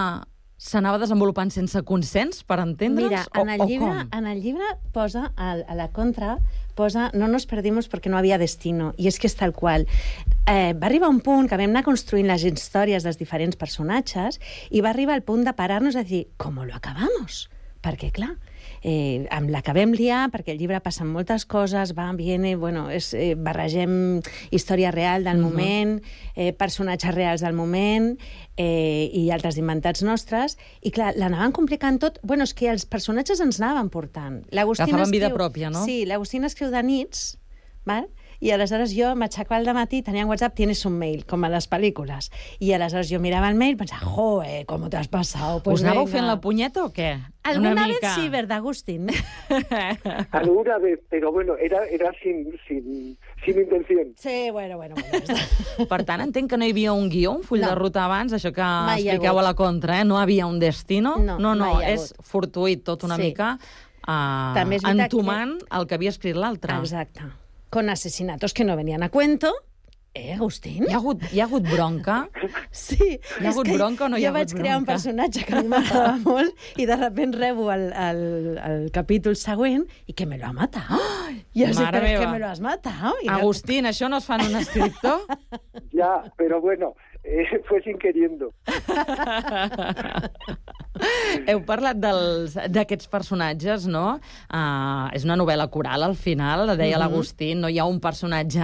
s'anava desenvolupant sense consens, per entendre'ns? Mira, en el, o, llibre, o com? en el llibre posa, al- a la contra, posa no nos perdimos porque no había destino, i és que és tal qual. Eh, va arribar un punt que vam anar construint les històries dels diferents personatges i va arribar al punt de parar-nos a dir, ¿cómo lo acabamos? Perquè, clar, eh, amb l'acabem liar, perquè el llibre passen moltes coses, va, viene, bueno, és, eh, barregem història real del Mhm. moment, eh, personatges reals del moment, eh, i altres inventats nostres, i clar, l'anaven complicant tot. Bueno, és que els personatges ens anaven portant. L'Agustina Agafaven vida escriu- pròpia, no? Sí, l'Agustina escriu de nits, val? I aleshores jo m'aixecava al matí, tenia en WhatsApp, tienes un mail, com a les pel·lícules. I aleshores jo mirava el mail i pensava, joe, com t'has passat. Us anàveu fent la punyeta o què? Alguna Una vez mica. sí, ¿verdad, Agustín? Alguna vez, pero bueno, era, era sin, sin, sin intención. Sí, bueno, bueno. bueno Per tant, entenc que no hi havia un guió, un full No. de ruta abans, això que Mai hi ha expliqueu hagut. a la contra, eh? No havia un destino. No, no, no mai hi ha és hagut. fortuït tot una Sí. mica, uh, També és veritat entomant el que havia escrit l'altre. Exacte. Con asesinatos que no venían a cuento. Eh, Agustín? Hi ha hagut, hi ha hagut bronca? Sí. Hi ha és hagut que bronca o no hi ha jo hagut vaig crear un bronca? personatge que a mi m'agradava molt i de repente rebo el, el, el capítol següent i que me lo ha matado. Oh, I jo sé, Mare però és meva. que me lo has matado. I Agustín, això no es fa en un escriptor? Ya, pero bueno, eh, fue sin queriendo. Heu parlat dels- d'aquests personatges, no? Uh, és una novel·la coral, al final, deia Mhm. l'Agustín, no hi ha un personatge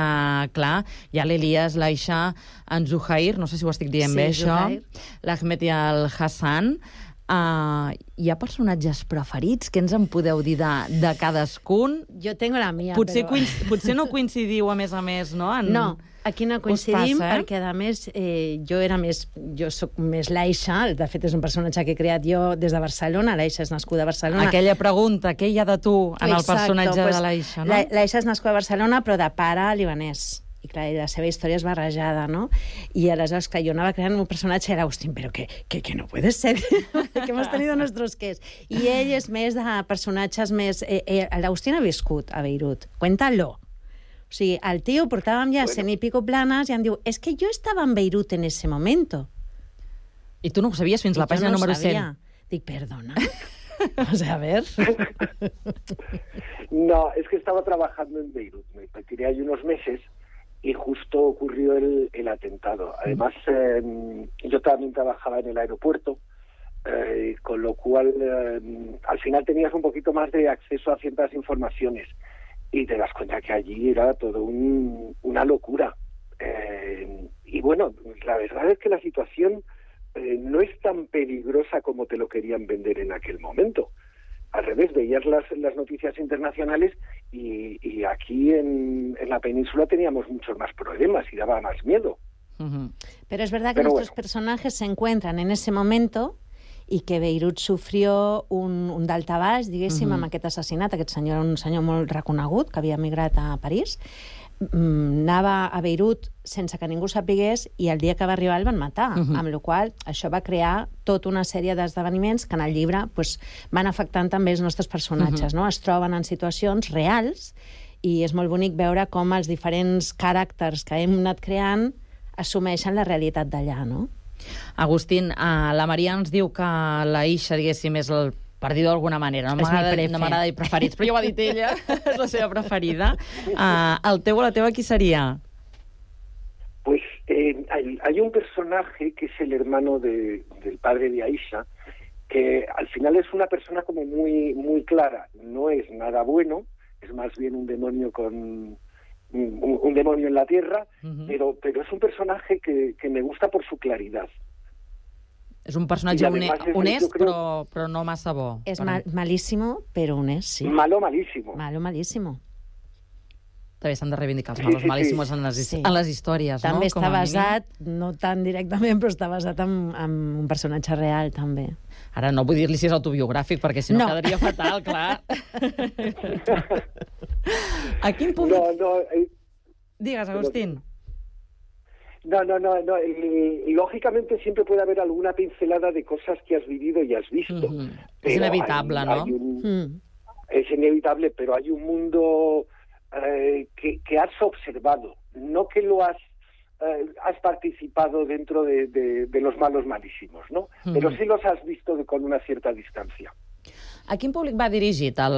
clar. Hi ha l'Elias, l'Aisha, en Zuhair, no sé si ho estic dient Sí, bé, això, Zuhair. l'Ahmed i el Hassan. Uh, hi ha personatges preferits? Què ens en podeu dir de, de cadascun? Jo tengo la mia, Potser, però... coinc potser no coincidiu, a més a més, no? En... No, aquí no Us coincidim passa, eh? perquè, a més, eh, jo era més... Jo sóc més l'Aisha, de fet és un personatge que he creat jo des de Barcelona, l'Aisha és nascuda a Barcelona. Aquella pregunta, què hi ha de tu en el Exacto, personatge pues, de l'Aisha, no? La- L'Aisha és nascuda a Barcelona, però de pare libanès. I clar, la seva història és barrejada, no? I aleshores, clar, jo anava creant un personatge i era Agustín, però que, que, que no puede ser, que hemos tenido nuestros qués. I ell és més de personatges més... Eh, eh, L'Agustín ha viscut a Beirut, cuéntalo. O sigui, el tio portàvem ja cent i pico planes i em diu, és que jo estava en Beirut en ese momento. I tu no ho sabies fins I la jo pàgina no ho número sabia. cent. Dic, perdona. O sea, a ver... No, es que estaba trabajando en Beirut, me retiré ahí unos meses y justo ocurrió el, el atentado. Además, eh, yo también trabajaba en el aeropuerto, eh, con lo cual eh, al final tenías un poquito más de acceso a ciertas informaciones y te das cuenta que allí era todo un, una locura. Eh, y bueno, la verdad es que la situación eh, no es tan peligrosa como te lo querían vender en aquel momento. Al revés, veías las, las noticias internacionales y, y aquí en, en la península teníamos muchos más problemas y daba más miedo. Uh-huh. Pero es verdad que Pero nuestros personajes se encuentran en ese momento i que Beirut sufrió un, un daltabaix, diguéssim, Mhm. amb aquest assassinat. Aquest senyor era un senyor molt reconegut, que havia emigrat a París. Mm, anava a Beirut sense que ningú sapigués i el dia que va arribar el van matar, Mhm. amb la qual cosa això va crear tota una sèrie d'esdeveniments que en el llibre pues, van afectant també els nostres personatges. Mhm. No? Es troben en situacions reals i és molt bonic veure com els diferents caràcters que hem anat creant assumeixen la realitat d'allà, no? Agustín, uh, la Maria ens diu que la Isha, diguéssim, és el per dir-ho d'alguna manera. No És mi m'agrada prefe. no m'agrada dir preferits, però ja ho ha dit ella, és la seva preferida. Uh, el teu o la teva qui seria? Pues Eh, hay, hay un personaje que es el hermano de, del padre de Aisha, que al final es una persona como muy, muy clara. No es nada bueno, es más bien un demonio con... Un, un demonio en la tierra, uh-huh. pero, pero es un personaje que, que me gusta por su claridad. És un personatge honest, honest creo... però, però no massa bo. És mal, malíssimo, però honest, sí. Malo malísimo. Malo malísimo. També s'han de reivindicar els malos sí, sí, malíssimos sí. en, les, sí. en les històries, també no? També està basat, no tan directament, però està basat en, en un personatge real, també. Ara no vull dir-li si és autobiogràfic, perquè si no, no. quedaria fatal, clar. A quin punt... No, no... Eh... Digues, Agustín. No, no, no, no. Y, y lógicamente siempre puede haber alguna pincelada de cosas que has vivido y has visto. Mm-hmm. Es inevitable, hay, ¿no? Hay un, mm. Es inevitable, pero hay un mundo eh, que, que has observado, no que lo has eh, has participado dentro de, de, de los malos malísimos, ¿no? Mm. Pero sí los has visto de, con una cierta distancia. A quin públic va dirigit el,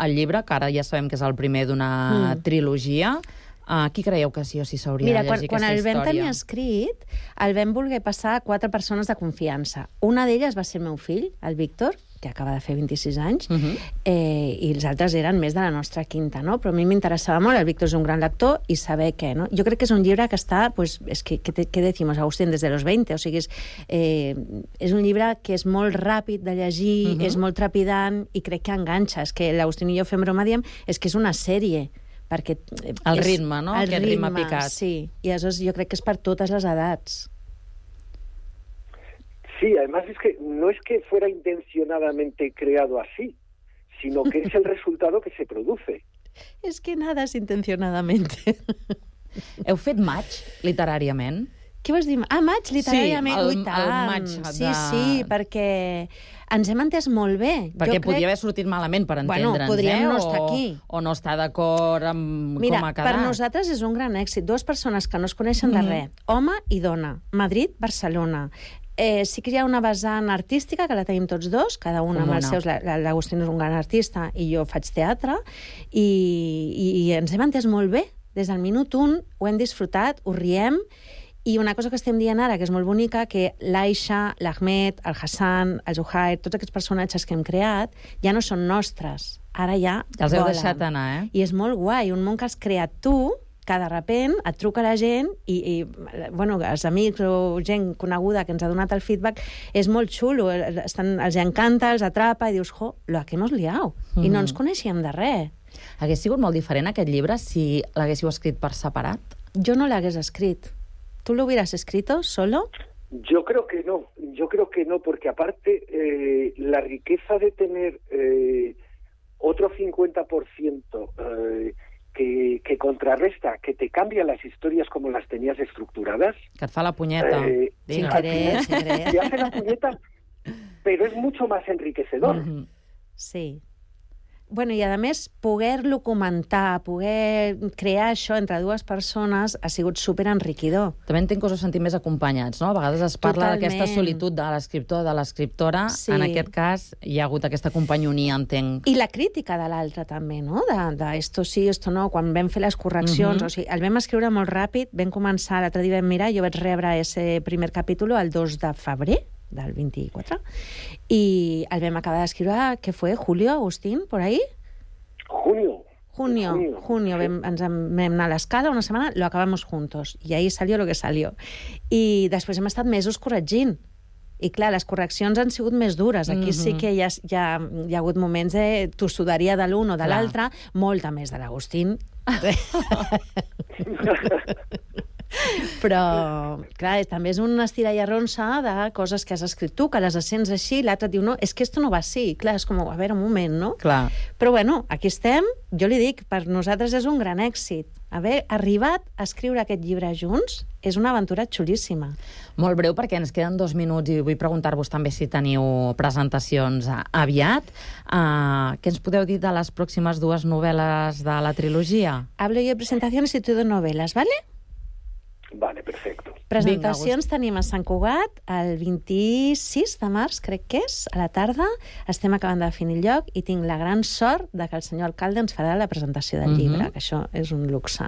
el llibre, que ara ja sabem que és el primer d'una mm. trilogia? Uh, qui creieu que sí o sí s'hauria Mira, de llegir quan, aquesta quan el història? vam tenir escrit, el vam voler passar a quatre persones de confiança. Una d'elles va ser el meu fill, el Víctor, que acaba de fer vint-i-sis anys, uh-huh. eh, i els altres eren més de la nostra quinta, no? Però a mi m'interessava molt, el Víctor és un gran lector, i saber què, no? Jo crec que és un llibre que està, pues, és que, que, que decimos, Agustín, des de los veinte, o sigui, és, eh, és un llibre que és molt ràpid de llegir, uh-huh. és molt trepidant, i crec que enganxa. És que l'Agustín i jo fem broma, diem, és que és una sèrie, perquè... El és, ritme, no? El Aquest ritme, ritme picat. Sí, i aleshores jo crec que és per totes les edats. Sí, además es que no es que fuera intencionadamente creado así, sino que es el resultado que se produce. És que nada és intencionadamente. Heu fet maig, literàriament? Què vols dir? Ah, maig, literàriament. Sí, el, Ui, tant. el maig. De... Sí, sí, perquè ens hem entès molt bé. Perquè jo podia crec... haver sortit malament, per entendre'ns, bueno, podríem eh? no estar o, aquí. O no estar d'acord amb Mira, com ha quedat. per nosaltres és un gran èxit. Dues persones que no es coneixen de Mm-hmm. res. Home i dona. Madrid, Barcelona. Eh, sí que hi ha una vessant artística, que la tenim tots dos, cada un amb Comuna. els seus... L'Agustín és un gran artista i jo faig teatre, i, i, i ens hem entès molt bé. Des del minut un ho hem disfrutat, ho riem, i una cosa que estem dient ara, que és molt bonica, que l'Aisha, l'Ahmed, el Hassan, el Zuhair, tots aquests personatges que hem creat, ja no són nostres. Ara ja Ja els heu volen. deixat anar, eh? I és molt guai, un món que has creat tu, que de repent et truca la gent i, i bueno, els amics o gent coneguda que ens ha donat el feedback, és molt xulo, estan, els encanta, els atrapa i dius, jo, lo que hemos liado. Mm. I no ens coneixíem de res. Hagués sigut molt diferent aquest llibre si l'haguéssiu escrit per separat? Jo no l'hagués escrit. ¿Tú lo hubieras escrito solo? Yo creo que no, yo creo que no, porque aparte eh, la riqueza de tener eh, otro cincuenta por ciento eh, que, que contrarresta, que te cambia las historias como las tenías estructuradas. Que et fa la punyeta. Eh, sin querer, sin querer. Te hace la puñeta, pero es mucho más enriquecedor. Mm-hmm. Sí. Bueno, i a més, poder-lo comentar, poder crear això entre dues persones ha sigut superenriquidor. També entenc que us heu sentit més acompanyats, no? A vegades es parla d'aquesta solitud de l'escriptor, de l'escriptora. Sí. En aquest cas hi ha hagut aquesta companyonia, entenc. I la crítica de l'altre també, no? De, de esto sí, esto no, quan vam fer les correccions. Uh-huh. O sigui, el vam escriure molt ràpid, vam començar, l'altre dia vam mirar, jo vaig rebre ese primer capítol el dos de febrer, del vint-i-quatre, i el vam acabar d'escriure, què fue, Julio, Agustín, por ahí? Junio. Junio, junio, junio. Vam, ens vam anar a l'escala una setmana, lo acabamos juntos, i ahí salió lo que salió. I després hem estat mesos corregint. I clar, les correccions han sigut més dures. Aquí mm-hmm. sí que hi ha, hi, ha, hi ha hagut moments de tossuderia de l'un o de l'altre, molta més de l'Agustín. Però, clar, també és una estira i arronsa de coses que has escrit tu, que les sents així, l'altre diu, no, és que esto no va així. Clar, és com, a veure, un moment, no? Clar. Però bueno, aquí estem, jo li dic, per nosaltres és un gran èxit. Haver arribat a escriure aquest llibre junts és una aventura xulíssima. Molt breu, perquè ens queden dos minuts i vull preguntar-vos també si teniu presentacions aviat. Uh, què ens podeu dir de les pròximes dues novel·les de la trilogia? Hablo yo de presentaciones y tú de novelas, ¿vale? Vale, perfecto. Presentacions tenim a Sant Cugat el vint-i-sis de març, crec que és, a la tarda. Estem acabant de definir el lloc i tinc la gran sort de que el senyor alcalde ens farà la presentació del llibre, Mhm. que això és un luxe.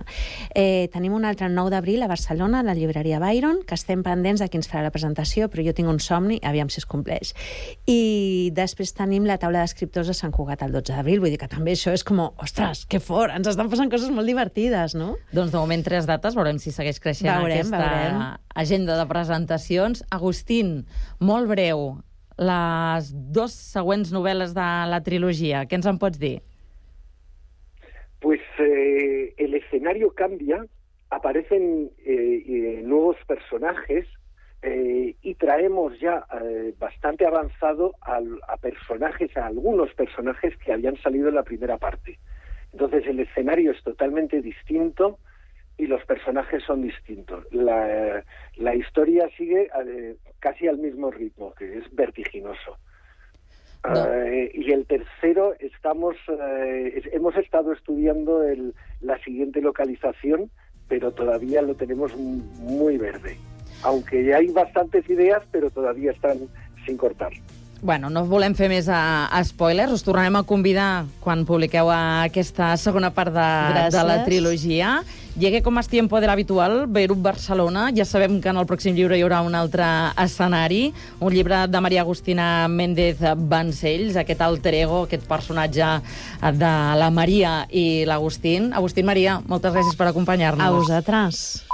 Eh, tenim un altre el nou d'abril a Barcelona, a la llibreria Byron, que estem pendents de qui ens farà la presentació, però jo tinc un somni, aviam si es compleix. I després tenim la taula d'escriptors a Sant Cugat el dotze d'abril, vull dir que també això és com, ostres, que fort, ens estan passant coses molt divertides, no? Doncs de moment tres dates, veurem si segueix creixent Veurem, aquesta veurem. agenda de presentacions. Agustín, molt breu, les dos següents novel·les de la trilogia, què ens en pots dir? Pues eh, el escenario cambia, aparecen eh, eh, nuevos personajes eh, y traemos ya eh, bastante avanzado al- a personajes, a algunos personajes que habían salido en la primera parte. Entonces el escenario es totalmente distinto y los personajes son distintos. La, la historia sigue eh, casi al mismo ritmo, que es vertiginoso. Eh, y el tercero, estamos, eh, es- hemos estado estudiando el- la siguiente localización, pero todavía lo tenemos m- muy verde. Aunque hay bastantes ideas, pero todavía están sin cortar. Bueno, no volem fer més a, a spoilers, us tornarem a convidar quan publiqueu aquesta segona part de, de la Gràcies. trilogia. Llegue com más tiempo de l'habitual, Beirut, Barcelona. Ja sabem que en el pròxim llibre hi haurà un altre escenari, un llibre de Maria Agustina Méndez Vancells, aquest alter ego, aquest personatge de la Maria i l'Agustín. Agustín, Maria, moltes gràcies per acompanyar-nos. A vosaltres.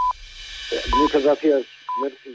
Eh, Muchas gracias. Merci.